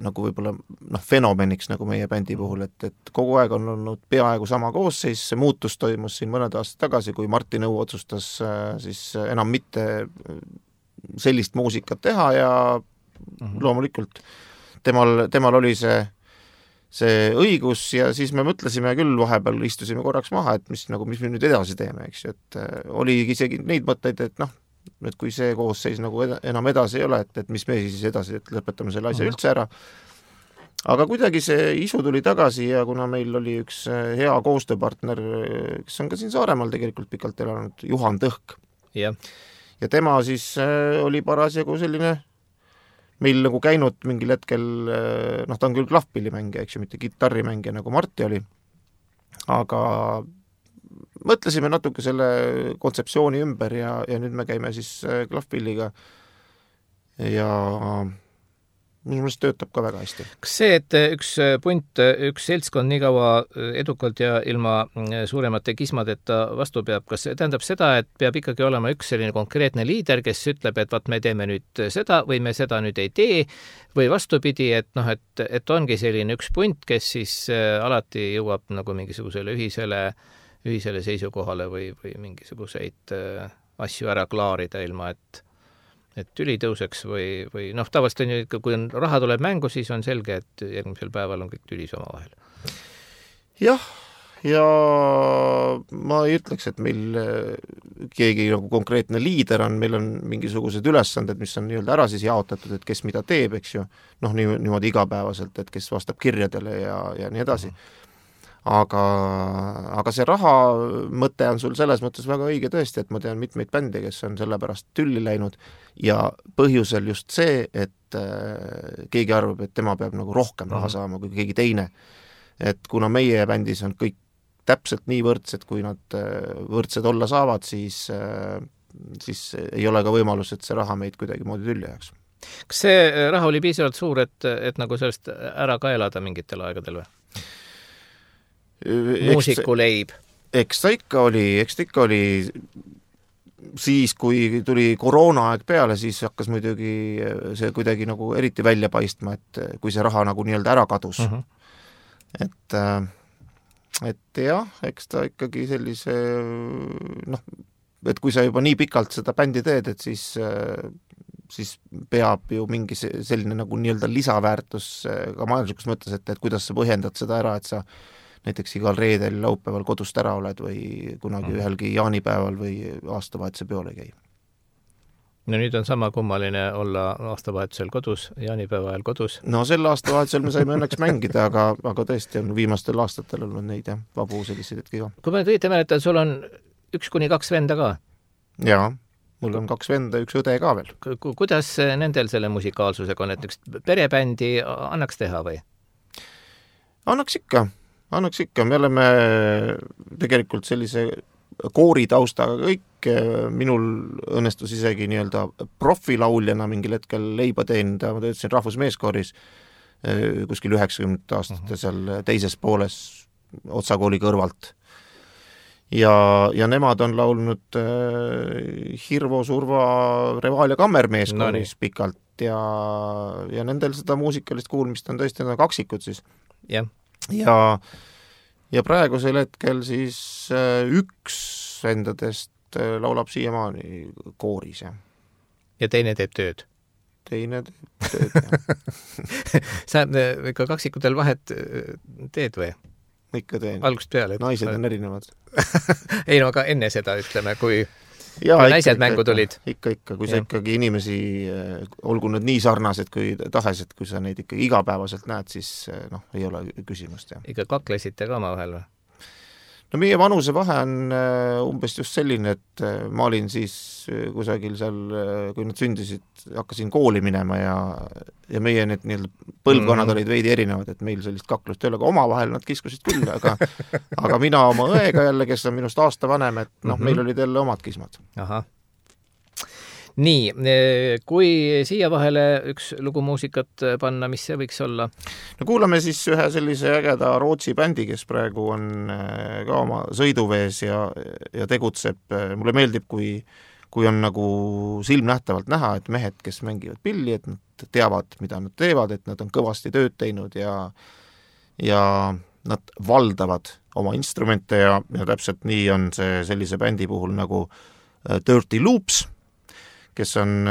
nagu võib-olla fenomeniks nagu meie bändi puhul, et kogu aeg on olnud peaaegu sama koosseis, see muutus toimus siin mõned aastad tagasi, kui Martin Õu otsustas siis enam mitte sellist muusikat teha ja loomulikult temal oli see õigus ja siis me mõtlesime küll, vahepeal istusime korraks maha, et mis me nüüd edasi teeme, eks ju, et oli isegi neid mõtteid, et kui see koosseis nagu enam edasi ei ole, et mis me siis edasi, et lõpetame selle asja üldse ära. Aga kuidagi see isu tuli tagasi ja kuna meil oli üks hea koostööpartner, kes on ka siin Saaremaal tegelikult pikalt elanud, Juhan Tõhk. Ja tema siis oli parasjagu selline meil nagu käinud mingil hetkel, ta on küll klahvpillimängija, eks ju, mitte kitarrimängija nagu Marti oli, aga mõtlesime natuke selle kontseptsiooni ümber ja nüüd me käime siis klahvpilliga ja minu meelest töötab ka väga hästi. Kas see, et üks seltskond nii kaua edukalt ja ilma suuremate kismadeta vastu peab, kas see tähendab seda, et peab ikkagi olema üks selline konkreetne liider, kes ütleb, et me teeme nüüd seda või me seda nüüd ei tee või vastupidi, et ongi selline üks punt, kes siis alati jõuab nagu mingisugusele ühisele seisukohale või mingisuguseid asju ära klaarida ilma, et tüli tõuseks või tavaliselt on ju, kui raha tuleb mängu, siis on selge, et järgmisel päeval on kõik tülis omavahel. Jah, ja ma ei ütleks, et meil keegi nagu konkreetne liider on, meil on mingisugused ülesanded, mis on nii-öelda ära siis jaotatud, et kes mida teeb, eks ju, niimoodi igapäevaselt, et kes vastab kirjadele ja nii edasi. Aga see raha mõte on sul selles mõttes väga õige tõesti, et ma tean mitmeid bände, kes on sellepärast tülli läinud ja põhjusel just see, et keegi arvab, et tema peab nagu rohkem raha saama kui keegi teine. Et kuna meie bändis on kõik täpselt nii võrdsed, kui nad võrdsed olla saavad, siis ei ole ka võimalus, et see raha meid kuidagi moodi tülli jääks. Kas see raha oli piisavalt suur, et nagu sellest ära ka elada mingitel aegadel või? Muusikuleib. Eks ta ikka oli siis, kui tuli koroonaaeg peale, siis hakkas muidugi see kuidagi nagu eriti välja paistma, et kui see raha nagu nii-öelda ära kadus. Et jah, eks ta ikkagi sellise et kui sa juba nii pikalt seda bändi teed, et siis peab ju mingi selline nagu nii-öelda lisaväärtus ka majanduslikus mõttes, et kuidas sa põhjendad seda ära, et sa näiteks igal reedel laupäeval kodust ära oled või kunagi ühelgi jaanipäeval või aastavahetuse peol ei käi. No nüüd on sama kummaline olla aastavahetusel kodus, jaanipäeva ajal kodus. No sel aastavahetusel me saime õnneks mängida, aga tõesti on viimastel aastatel olnud neid vabu selliseid hetki ka. Kui ma õieti mäletan, sul on 1-2 venda ka? Jaa, mul on 2 venda, 1 õde ka veel. Kuidas nendel selle musikaalsusega on, et üks perebändi annaks teha või? Annaks ikka, me oleme tegelikult sellise kooritaustaga kõik, minul õnnestus isegi nii-öelda profilauljana mingil hetkel leiba teenida, ma töötasin rahvusmeeskooris kuskil 90 aastate seal teises pooles Otsakooli kõrvalt. Ja nemad on laulnud Hirvo, Surva, Revaal ja Kammermeeskooris pikalt ja nendel seda muusikalist kuulmist on tõesti kaksikud siis. Jah. Ja praegusel hetkel siis üks vendadest laulab siiamaani kooris. Ja teine teeb tööd? Teine teeb tööd, jah. Sa ikka kaksikutel vahet teed või? Ikka teen. Algust peale. Naised on erinevad. Ei no, aga enne seda ütleme, kui naised mängu tulid. Ikka, kui sa ikkagi inimesi, olgu nad nii sarnased kui tahes, et kui sa neid ikkagi igapäevaselt näed, siis ei ole küsimust. Ikka kaklesite ka oma vahel või? No meie vanusevahe on umbes just selline, et ma olin siis kusagil seal, kui nad sündisid, hakkasin kooli minema ja meie need põlvkonnad olid veidi erinevad, et meil sellist kaklust ei ole, aga omavahel nad kiskusid küll, aga mina oma õega jälle, kes on minust aasta vanem, et meil olid jälle omad kismad. Ahah. Nii, kui siia vahele üks lugu muusikat panna, mis see võiks olla? No kuulame siis ühe sellise ägeda Rootsi bändi, kes praegu on ka oma sõiduvees ja tegutseb. Mulle meeldib, kui on nagu silmnähtavalt näha, et mehed, kes mängivad pilli, et nad teavad, mida nad teevad, et nad on kõvasti tööd teinud ja nad valdavad oma instrumente ja täpselt nii on see sellise bändi puhul nagu Dirty Loops, kes on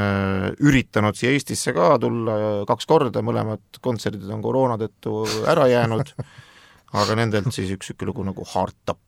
üritanud siia Eestisse ka tulla 2 korda, mõlemad kontserdid on koroona tõttu ära jäänud, aga nendelt siis üks lugu nagu Hard Top.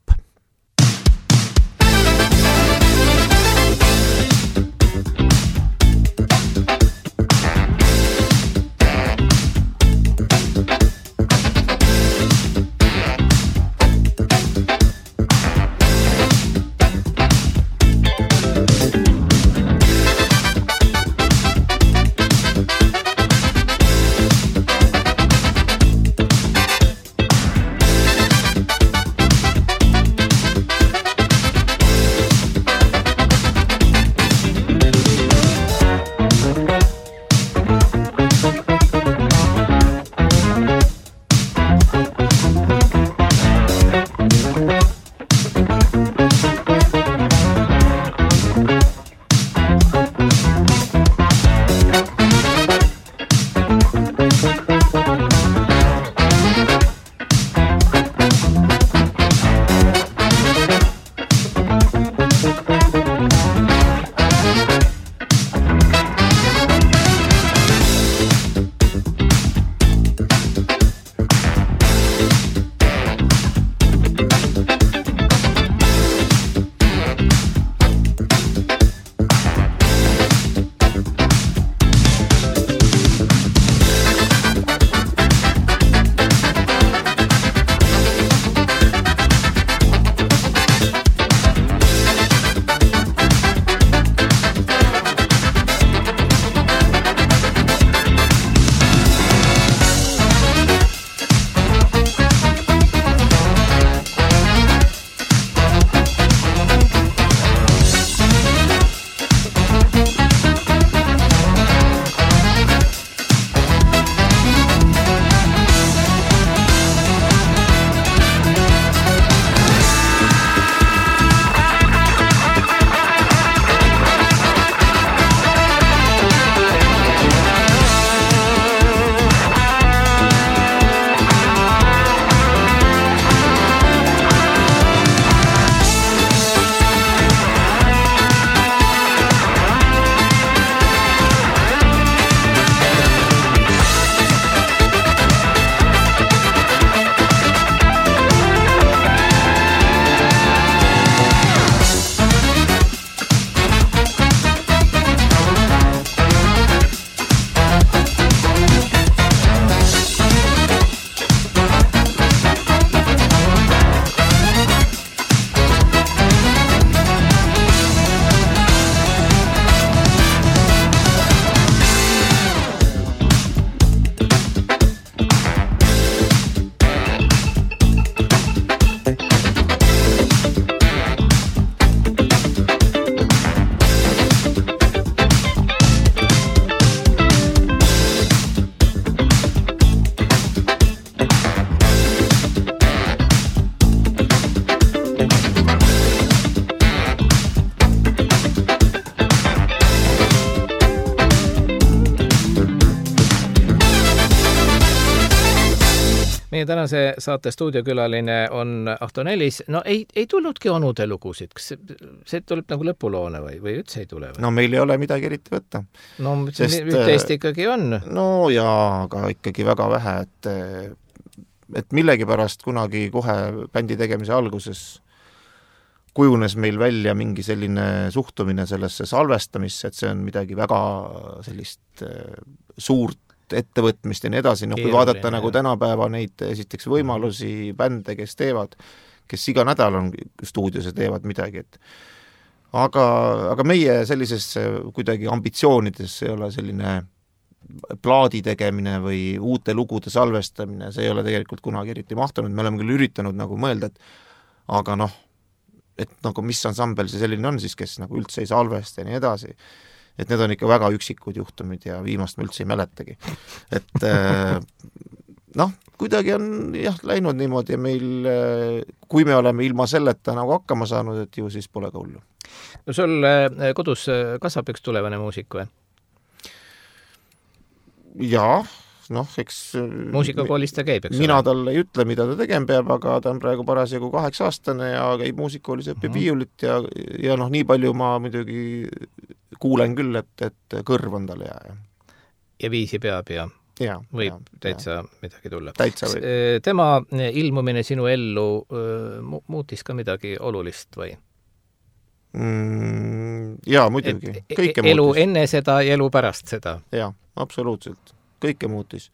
Meie tänase saate stuudiokülaline on Ahto Nälis. No ei tulnudki onude lugusid. Kas see tuleb nagu lõpuloone või üldse ei tule? No meil ei ole midagi eriti võtta. No üht-teist ikkagi on. No jaa, aga ikkagi väga vähe, et millegipärast kunagi kohe bändi tegemise alguses kujunes meil välja mingi selline suhtumine sellesse salvestamisse, et see on midagi väga sellist suurt ettevõtmist ja nii edasi, kui vaadata nagu tänapäeva neid esiteks võimalusi bände, kes kes iga nädal on stuudios ja teevad midagi, et aga meie sellises kuidagi ambitsioonides ei ole selline plaadi tegemine või uute lugude salvestamine, see ei ole tegelikult kunagi eriti mahtunud, me oleme küll üritanud nagu mõelda, et aga noh, et nagu mis ansambel see selline on siis, kes nagu üldse ei salvesta ja nii edasi, et need on ikka väga üksikud juhtumid ja viimast me üldse ei mäletagi. Et noh, kuidagi on jah läinud niimoodi ja meil, kui me oleme ilma selleta nagu hakkama saanud, et ju siis pole ka hullu. No sul kodus kasvab üks tulevane muusik või? Jaa, noh, eks muusikakoolis ta käib, eks mina talle ei ütle, mida ta tegema peab, aga ta on praegu parasjagu 8-aastane ja käib muusikakoolis, õpib viiulit ja noh, nii palju ma muidugi kuulen küll, et kõrv on talle hea. Ja viisi peab ja võib täitsa midagi tulla. Täitsa võib. Tema ilmumine sinu ellu muutis ka midagi olulist või? Jaa, muidugi. Kõike elu muutis. enne seda ja elu pärast seda. Jaa, absoluutselt. Kõike muutis.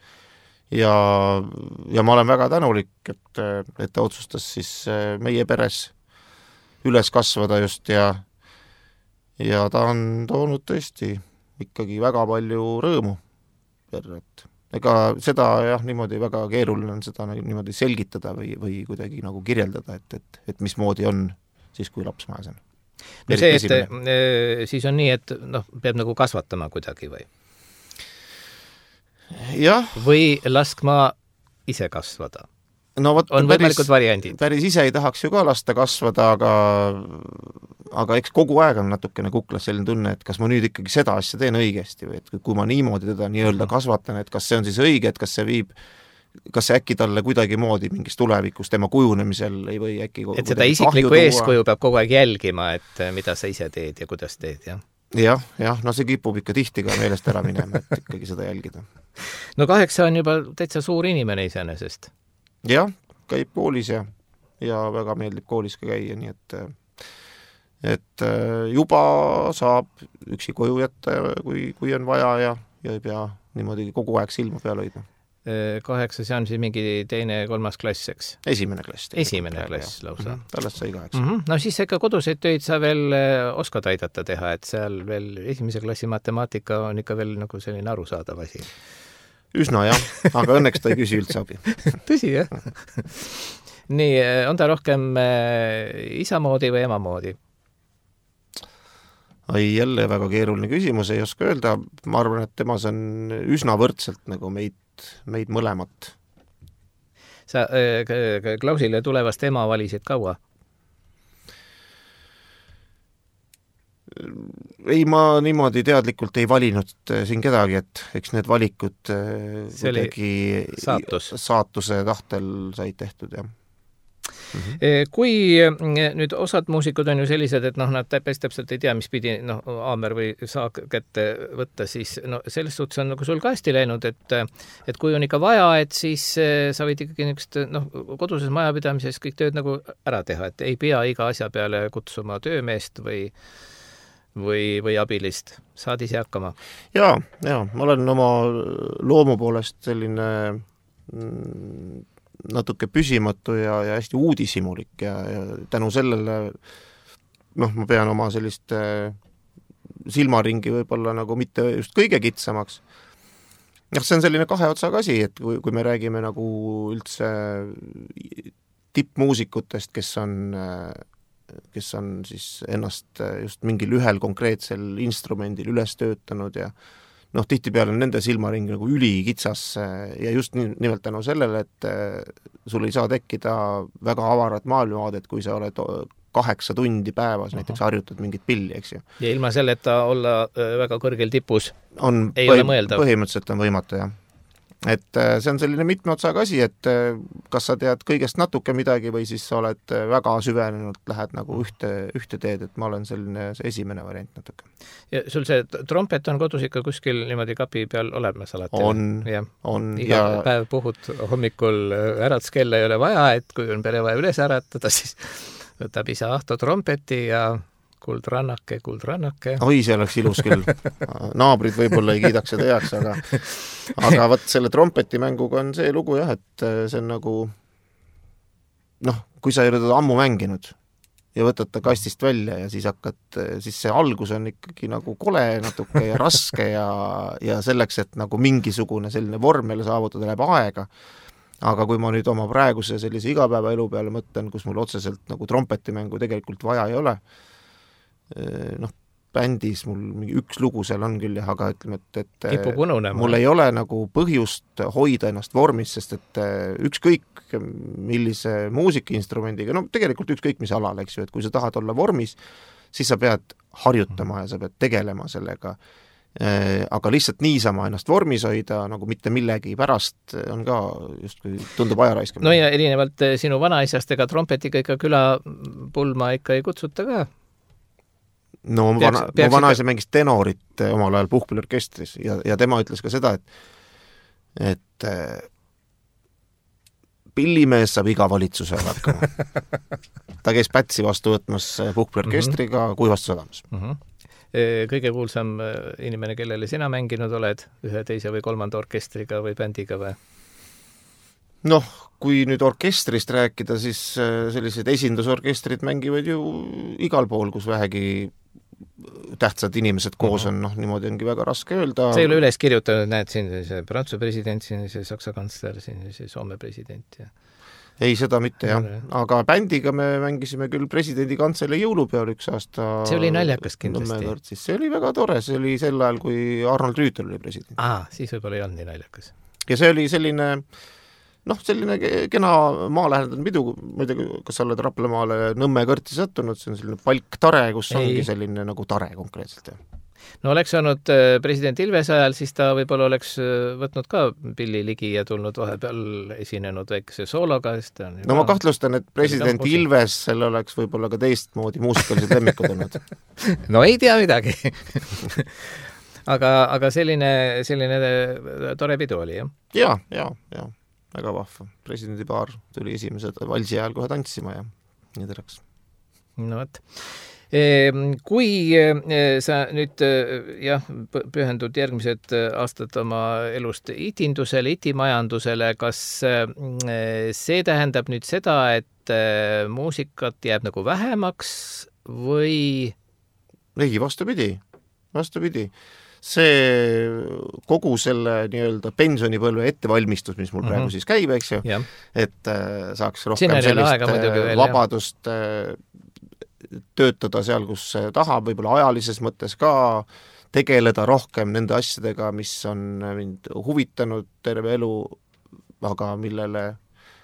Ja ma olen väga tänulik, et ta otsustas siis meie peres üles kasvada just ja ta on toonud tõesti ikkagi väga palju rõõmu. Ega seda jah, niimoodi väga keeruline on seda niimoodi selgitada või kuidagi nagu kirjeldada, et mismoodi on siis, kui laps majas on. No see, et siis on nii, et noh, peab nagu kasvatama kuidagi või? Jah. Või laskma ise kasvada? No, on võimalikud variandid. Päris ise ei tahaks ju ka lasta kasvada, aga eks kogu aeg on natukene kuklas selline tunne, et kas ma nüüd ikkagi seda asja teen õigesti või et kui ma niimoodi teda nii-öelda kasvatan, et kas see on siis õige, et kas see äkki talle kuidagi moodi mingis tulevikus tema kujunemisel ei või äkki et seda isiklikku eeskuju peab kogu aeg jälgima, et mida sa ise teed ja kuidas teed, jah? Jah, no see kipub ikka tihti ka meelest ära minema, et ikkagi seda jälgida. No 8 on juba täitsa suur inimene iseenesest. Jah, käib koolis ja väga meeldib koolis ka käia, nii et juba saab üksi koju jätta, kui on vaja ja ei pea niimoodi kogu aeg silma peal hoidma. 8, see on siis mingi 2.–3. klass, eks? Esimene klass lausa. Alles sai 8. No siis ikka koduseid töid sa veel oskad aidata teha, et seal veel 1. klassi matemaatika on ikka veel nagu selline arusaadav asi. Üsna jah, aga õnneks ta ei küsi üldse abi. Tõsi, jah? Nii, on ta rohkem isa moodi või ema moodi? Jälle väga keeruline küsimus, ei oska öelda. Ma arvan, et temas on üsna võrdselt nagu meid mõlemat. Sa Klausile tulevast ema valisid kaua? Ei, ma niimoodi teadlikult ei valinud siin kedagi, et eks need valikud kuidagi saatuse tahtel said tehtud, jah. Kui nüüd osad muusikud on ju sellised, et noh, nad täpselt ei tea, mis pidi aamer või saak kätte võtta, siis selles suhtes on nagu sul ka hästi läinud, et kui on ikka vaja, et siis sa võid ikkagi niisugust koduses majapidamises kõik tööd nagu ära teha, et ei pea iga asja peale kutsuma töömeest või abilist. Saad ise hakkama? Jaa, ma olen oma loomu poolest selline natuke püsimatu ja hästi uudishimulik ja tänu sellele ma pean oma sellist silmaringi võib-olla nagu mitte just kõige kitsamaks. See on selline kahe otsaga asi, et kui me räägime nagu üldse tippmuusikutest, kes on siis ennast just mingil ühel konkreetsel instrumendil üles töötanud ja tihtipeale on nende silmaring nagu ülikitsas ja just nimelt tänu sellele, et sul ei saa tekkida väga avarat maailmavaadet, kui sa oled 8 tundi päevas näiteks harjutad mingit pilli, eks ju. Ja ilma selleta olla väga kõrgel tipus ei ole mõeldav. Põhimõtteliselt on võimatu, jah. Et see on selline mitme otsaga asi, et kas sa tead kõigest natuke midagi või siis sa oled väga süvenenud, lähed nagu ühte teed, et ma olen selline see esimene variant natuke. Ja sul see trompet on kodus ikka kuskil niimoodi kapi peal olemas alati? On. Iga päev puhud hommikul äratskella ei ole vaja, et kui on pere vaja üles äratada, siis võtab isa Ahto trompeti ja kuldrannake. Oi, see oleks ilus küll. Naabrid võib-olla ei kiidaks seda heaks, aga võt selle trompetimänguga on see lugu jah, et see on nagu noh, kui sa ei ole teda ammu mänginud ja võtad ta kastist välja ja siis siis see algus on ikkagi nagu kole natuke ja raske ja selleks, et nagu mingisugune selline vorm jälle saavutada, läheb aega. Aga kui ma nüüd oma praeguse sellise igapäevaelu peale mõtlen, kus mul otseselt nagu trompetimängu tegelikult vaja ei ole, noh, bändis mul mingi üks lugu seal on küll, aga ütleme, et mul ei ole nagu põhjust hoida ennast vormis, sest et ükskõik millise muusikainstrumendiga, no tegelikult ükskõik mis alal, eks ju, et kui sa tahad olla vormis, siis sa pead harjutama ja sa pead tegelema sellega. Aga lihtsalt niisama ennast vormis hoida nagu mitte millegi pärast on ka justkui tundub ajaraiskama. No ja erinevalt sinu vanaisast ega trompetiga ikka külapulma ikka ei kutsuta ka. No mu vanaisa mängis tenorit omal ajal puhkpilliorkestris ja tema ütles ka seda, et pillimees saab iga valitsusel hakkama. Ta käis Pätsi vastu võtmas puhkpilliorkestriga Kuivastu sadamas. Kõige kuulsam inimene, kellele sina mänginud oled, ühe, teise või kolmanda orkestriga või bändiga või? Noh, kui nüüd orkestrist rääkida, siis sellised esindusorkestrid mängivad ju igal pool, kus vähegi tähtsad inimesed koos on, noh, niimoodi ongi väga raske öelda. See ei ole üles kirjutanud, näed, siin see Prantsuse president, siin see Saksa kantsler, siin see Soome president ja... Ei, seda mitte, jah. Aga bändiga me mängisime küll presidendi kantselei jõulupeol üks aasta. See oli naljakas kindlasti. See oli väga tore, see oli sel ajal, kui Arnold Rüütel oli president. Siis võib-olla ei olnud nii naljakas. Ja see oli selline, noh, selline kena maalähendanud pidu, ma ei tea, kas sa oled Raplamaale Nõmme kõrti sattunud, see on selline palktare, kus ongi selline nagu tare konkreetselt, jah. No oleks olnud president Ilves ajal, siis ta võib-olla oleks võtnud ka pilli ligi ja tulnud vahepeal esinenud väikese soologa. No ma kahtlustan, et president Ilves selle oleks võib-olla ka teistmoodi muusikalised lemmikud olnud. No ei tea midagi. aga selline tore pidu oli, jah? Ja, väga vahva. Presidendi paar tuli esimese valsi ajal kohe tantsima ja nii teraks. No võt. Kui sa nüüd pühendud järgmised aastad oma elust itindusele, itimajandusele, kas see tähendab nüüd seda, et muusikat jääb nagu vähemaks või? Ei, vastupidi. See kogu selle nii-öelda pensionipõlve ettevalmistus, mis mul praegu siis käib, eks ju, et saaks rohkem sellist vabadust töötada seal, kus tahab, võib-olla ajalises mõttes ka tegeleda rohkem nende asjadega, mis on mind huvitanud terve elu, aga millele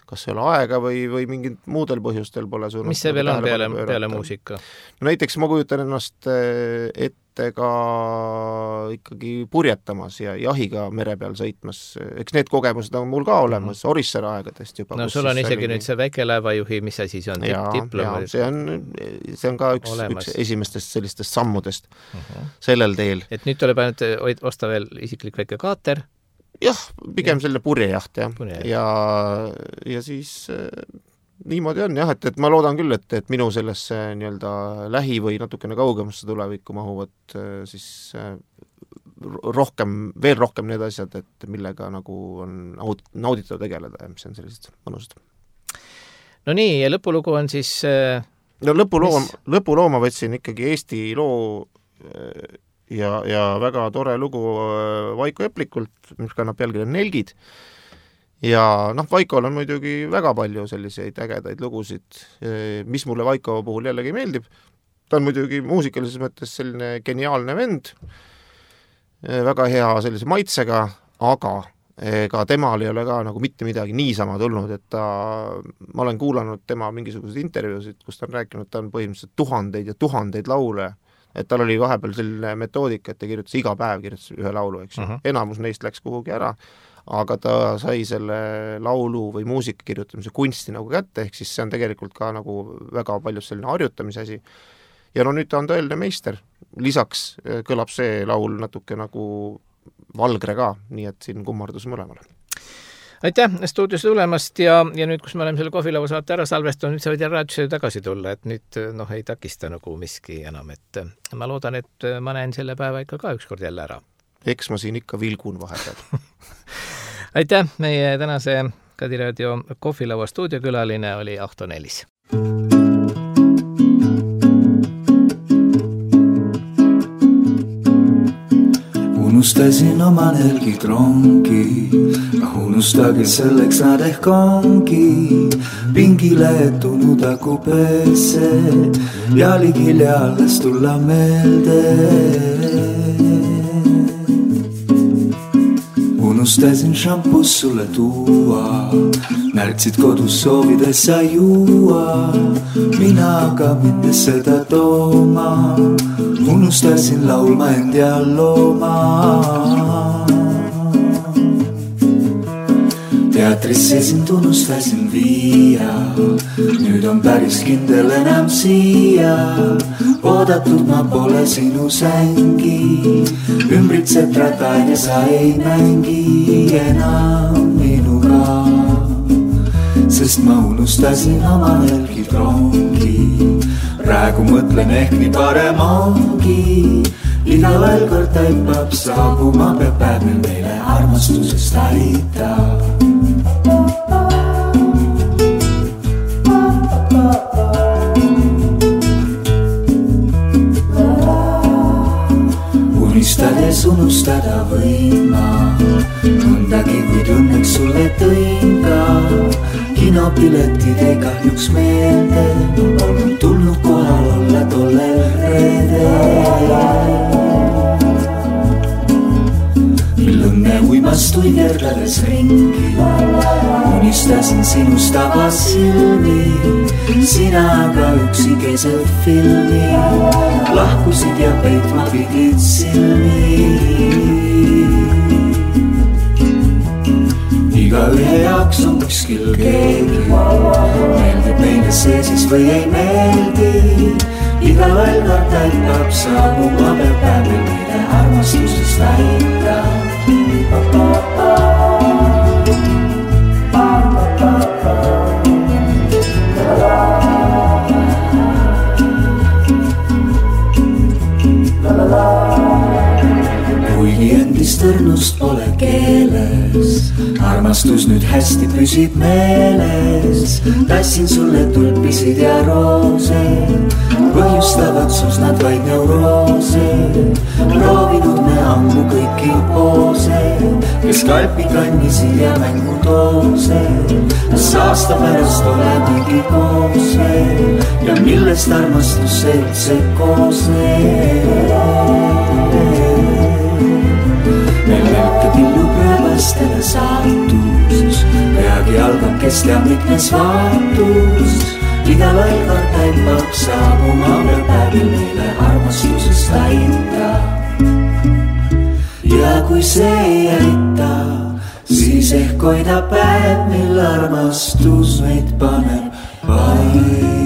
kas ei ole aega või mingid muudel põhjustel pole suunud. Mis see veel on peale muusika? No näiteks ma kujutan ennast ette ka ikkagi purjetamas ja jahiga mere peal sõitmas. Eks need kogemused on mul ka olemas Orissaare aegadest juba. No sul on isegi nüüd see väikelaevajuhi, mis asi see on? Ja see on ka üks esimestest sellistest sammudest sellel teel. Et nüüd tuleb ainult osta veel isiklik väike kaater? Jah, pigem selline purjejaht, ja siis niimoodi on, jah, et ma loodan küll, et minu sellesse nii-öelda lähi või natukene kaugemasse tulevikku mahuvad siis veel rohkem need asjad, et millega nagu on nauditav tegeleda ja mis on sellised mõnusad. No nii, ja lõpulugu on siis... No lõpulooma võtsin ikkagi Eesti loo ja väga tore lugu Vaiko Eplikult, mis kannab pealkirja Nelgid. Ja Vaikol on muidugi väga palju selliseid ägedaid lugusid, mis mulle Vaiko puhul jällegi meeldib. Ta on muidugi muusikalises mõttes selline geniaalne vend, väga hea sellise maitsega, aga ega temal ei ole ka nagu mitte midagi niisama tulnud, et ma olen kuulanud tema mingisuguseid intervjuusid, kus ta on rääkinud, ta on põhimõtteliselt tuhandeid ja tuhandeid laule, et tal oli vahepeal selline metoodika, et ta kirjutas iga päev ühe laulu, eks. Enamus neist läks kuhugi ära, aga ta sai selle laulu või muusika kirjutamise kunsti nagu kätte, ehk siis see on tegelikult ka nagu väga palju selline harjutamise asi. Ja nüüd ta on tõeline meister. Lisaks kõlab see laul natuke nagu Valgre ka, nii et siin kummardus mõlemale. Aitäh stuudios tulemast ja nüüd, kus me oleme selle kohvilaua saate ära salvestanud, nüüd sa võid raadiosse tagasi tulla, et nüüd ei takista nagu miski enam, et ma loodan, et ma näen selle päeva ikka ka ükskord jälle ära. Eks ma siin ikka vilgun vahepeal. Aitäh meie tänase Kadiraadio kohvilaua stuudiokülaline oli Ahto Nelis. Unustasin oma nelgid rongi, unustage selleks nad ehk ongi pingile etunud akupeesse ja ligilja alles tulla meelde. Unustasin šampus sulle tuua, märtsid kodus soovides sa juua, mina aga mindes seda tooma, unustasin laulma end ja looma. Teatrisse sind unustasin viia, nüüd on päris kindel enam siia, oodatud ma pole sinu sängi, ümbritseb ratain ja sa ei mängi enam minuga, sest ma unustasin oma nelgid rongi. Praegu mõtlen ehk nii parem ongi, iga veel kord taipab saabuma, peab päev meile armastusest aita. Unistades unustada võin ma mõndagi, kuid õnneks sulle tõin ka kinopiletid ei kahjuks meelde, polnud tulnud kohal olla tollel reedel. Mil õnne uimastui kerdades ringi, unistasin sinust avas silmi, sina aga üksi keset filmi, lahkusid ja peitma pidid silmi. Iga ühe jaoks on kuskil keegi, meeldib meile see siis või ei meeldi, iga veel kord taipab saabuma, peab päevel meile armastusest aita. Kuigi endist õrnust pole keeles, armastus nüüd hästi püsib meeles, tassin sulle tulpisid ja roose, põhjustavad sus nad vaid neuroose, proovinud me ammu kõiki poose, kes kalpi kannisid ja mängutoose, kas aasta pärast olemegi koos veel ja millest armastus see üldse koosneb. Meil välkab illub rööbastele saatus, peagi algab kestab mitmes vaatus, iga veel kord taipab saabuma, peab päevil meile armastusest aita. Ja kui see ei aita, siis ehk hoida päev, mil armastus meid paneb paika.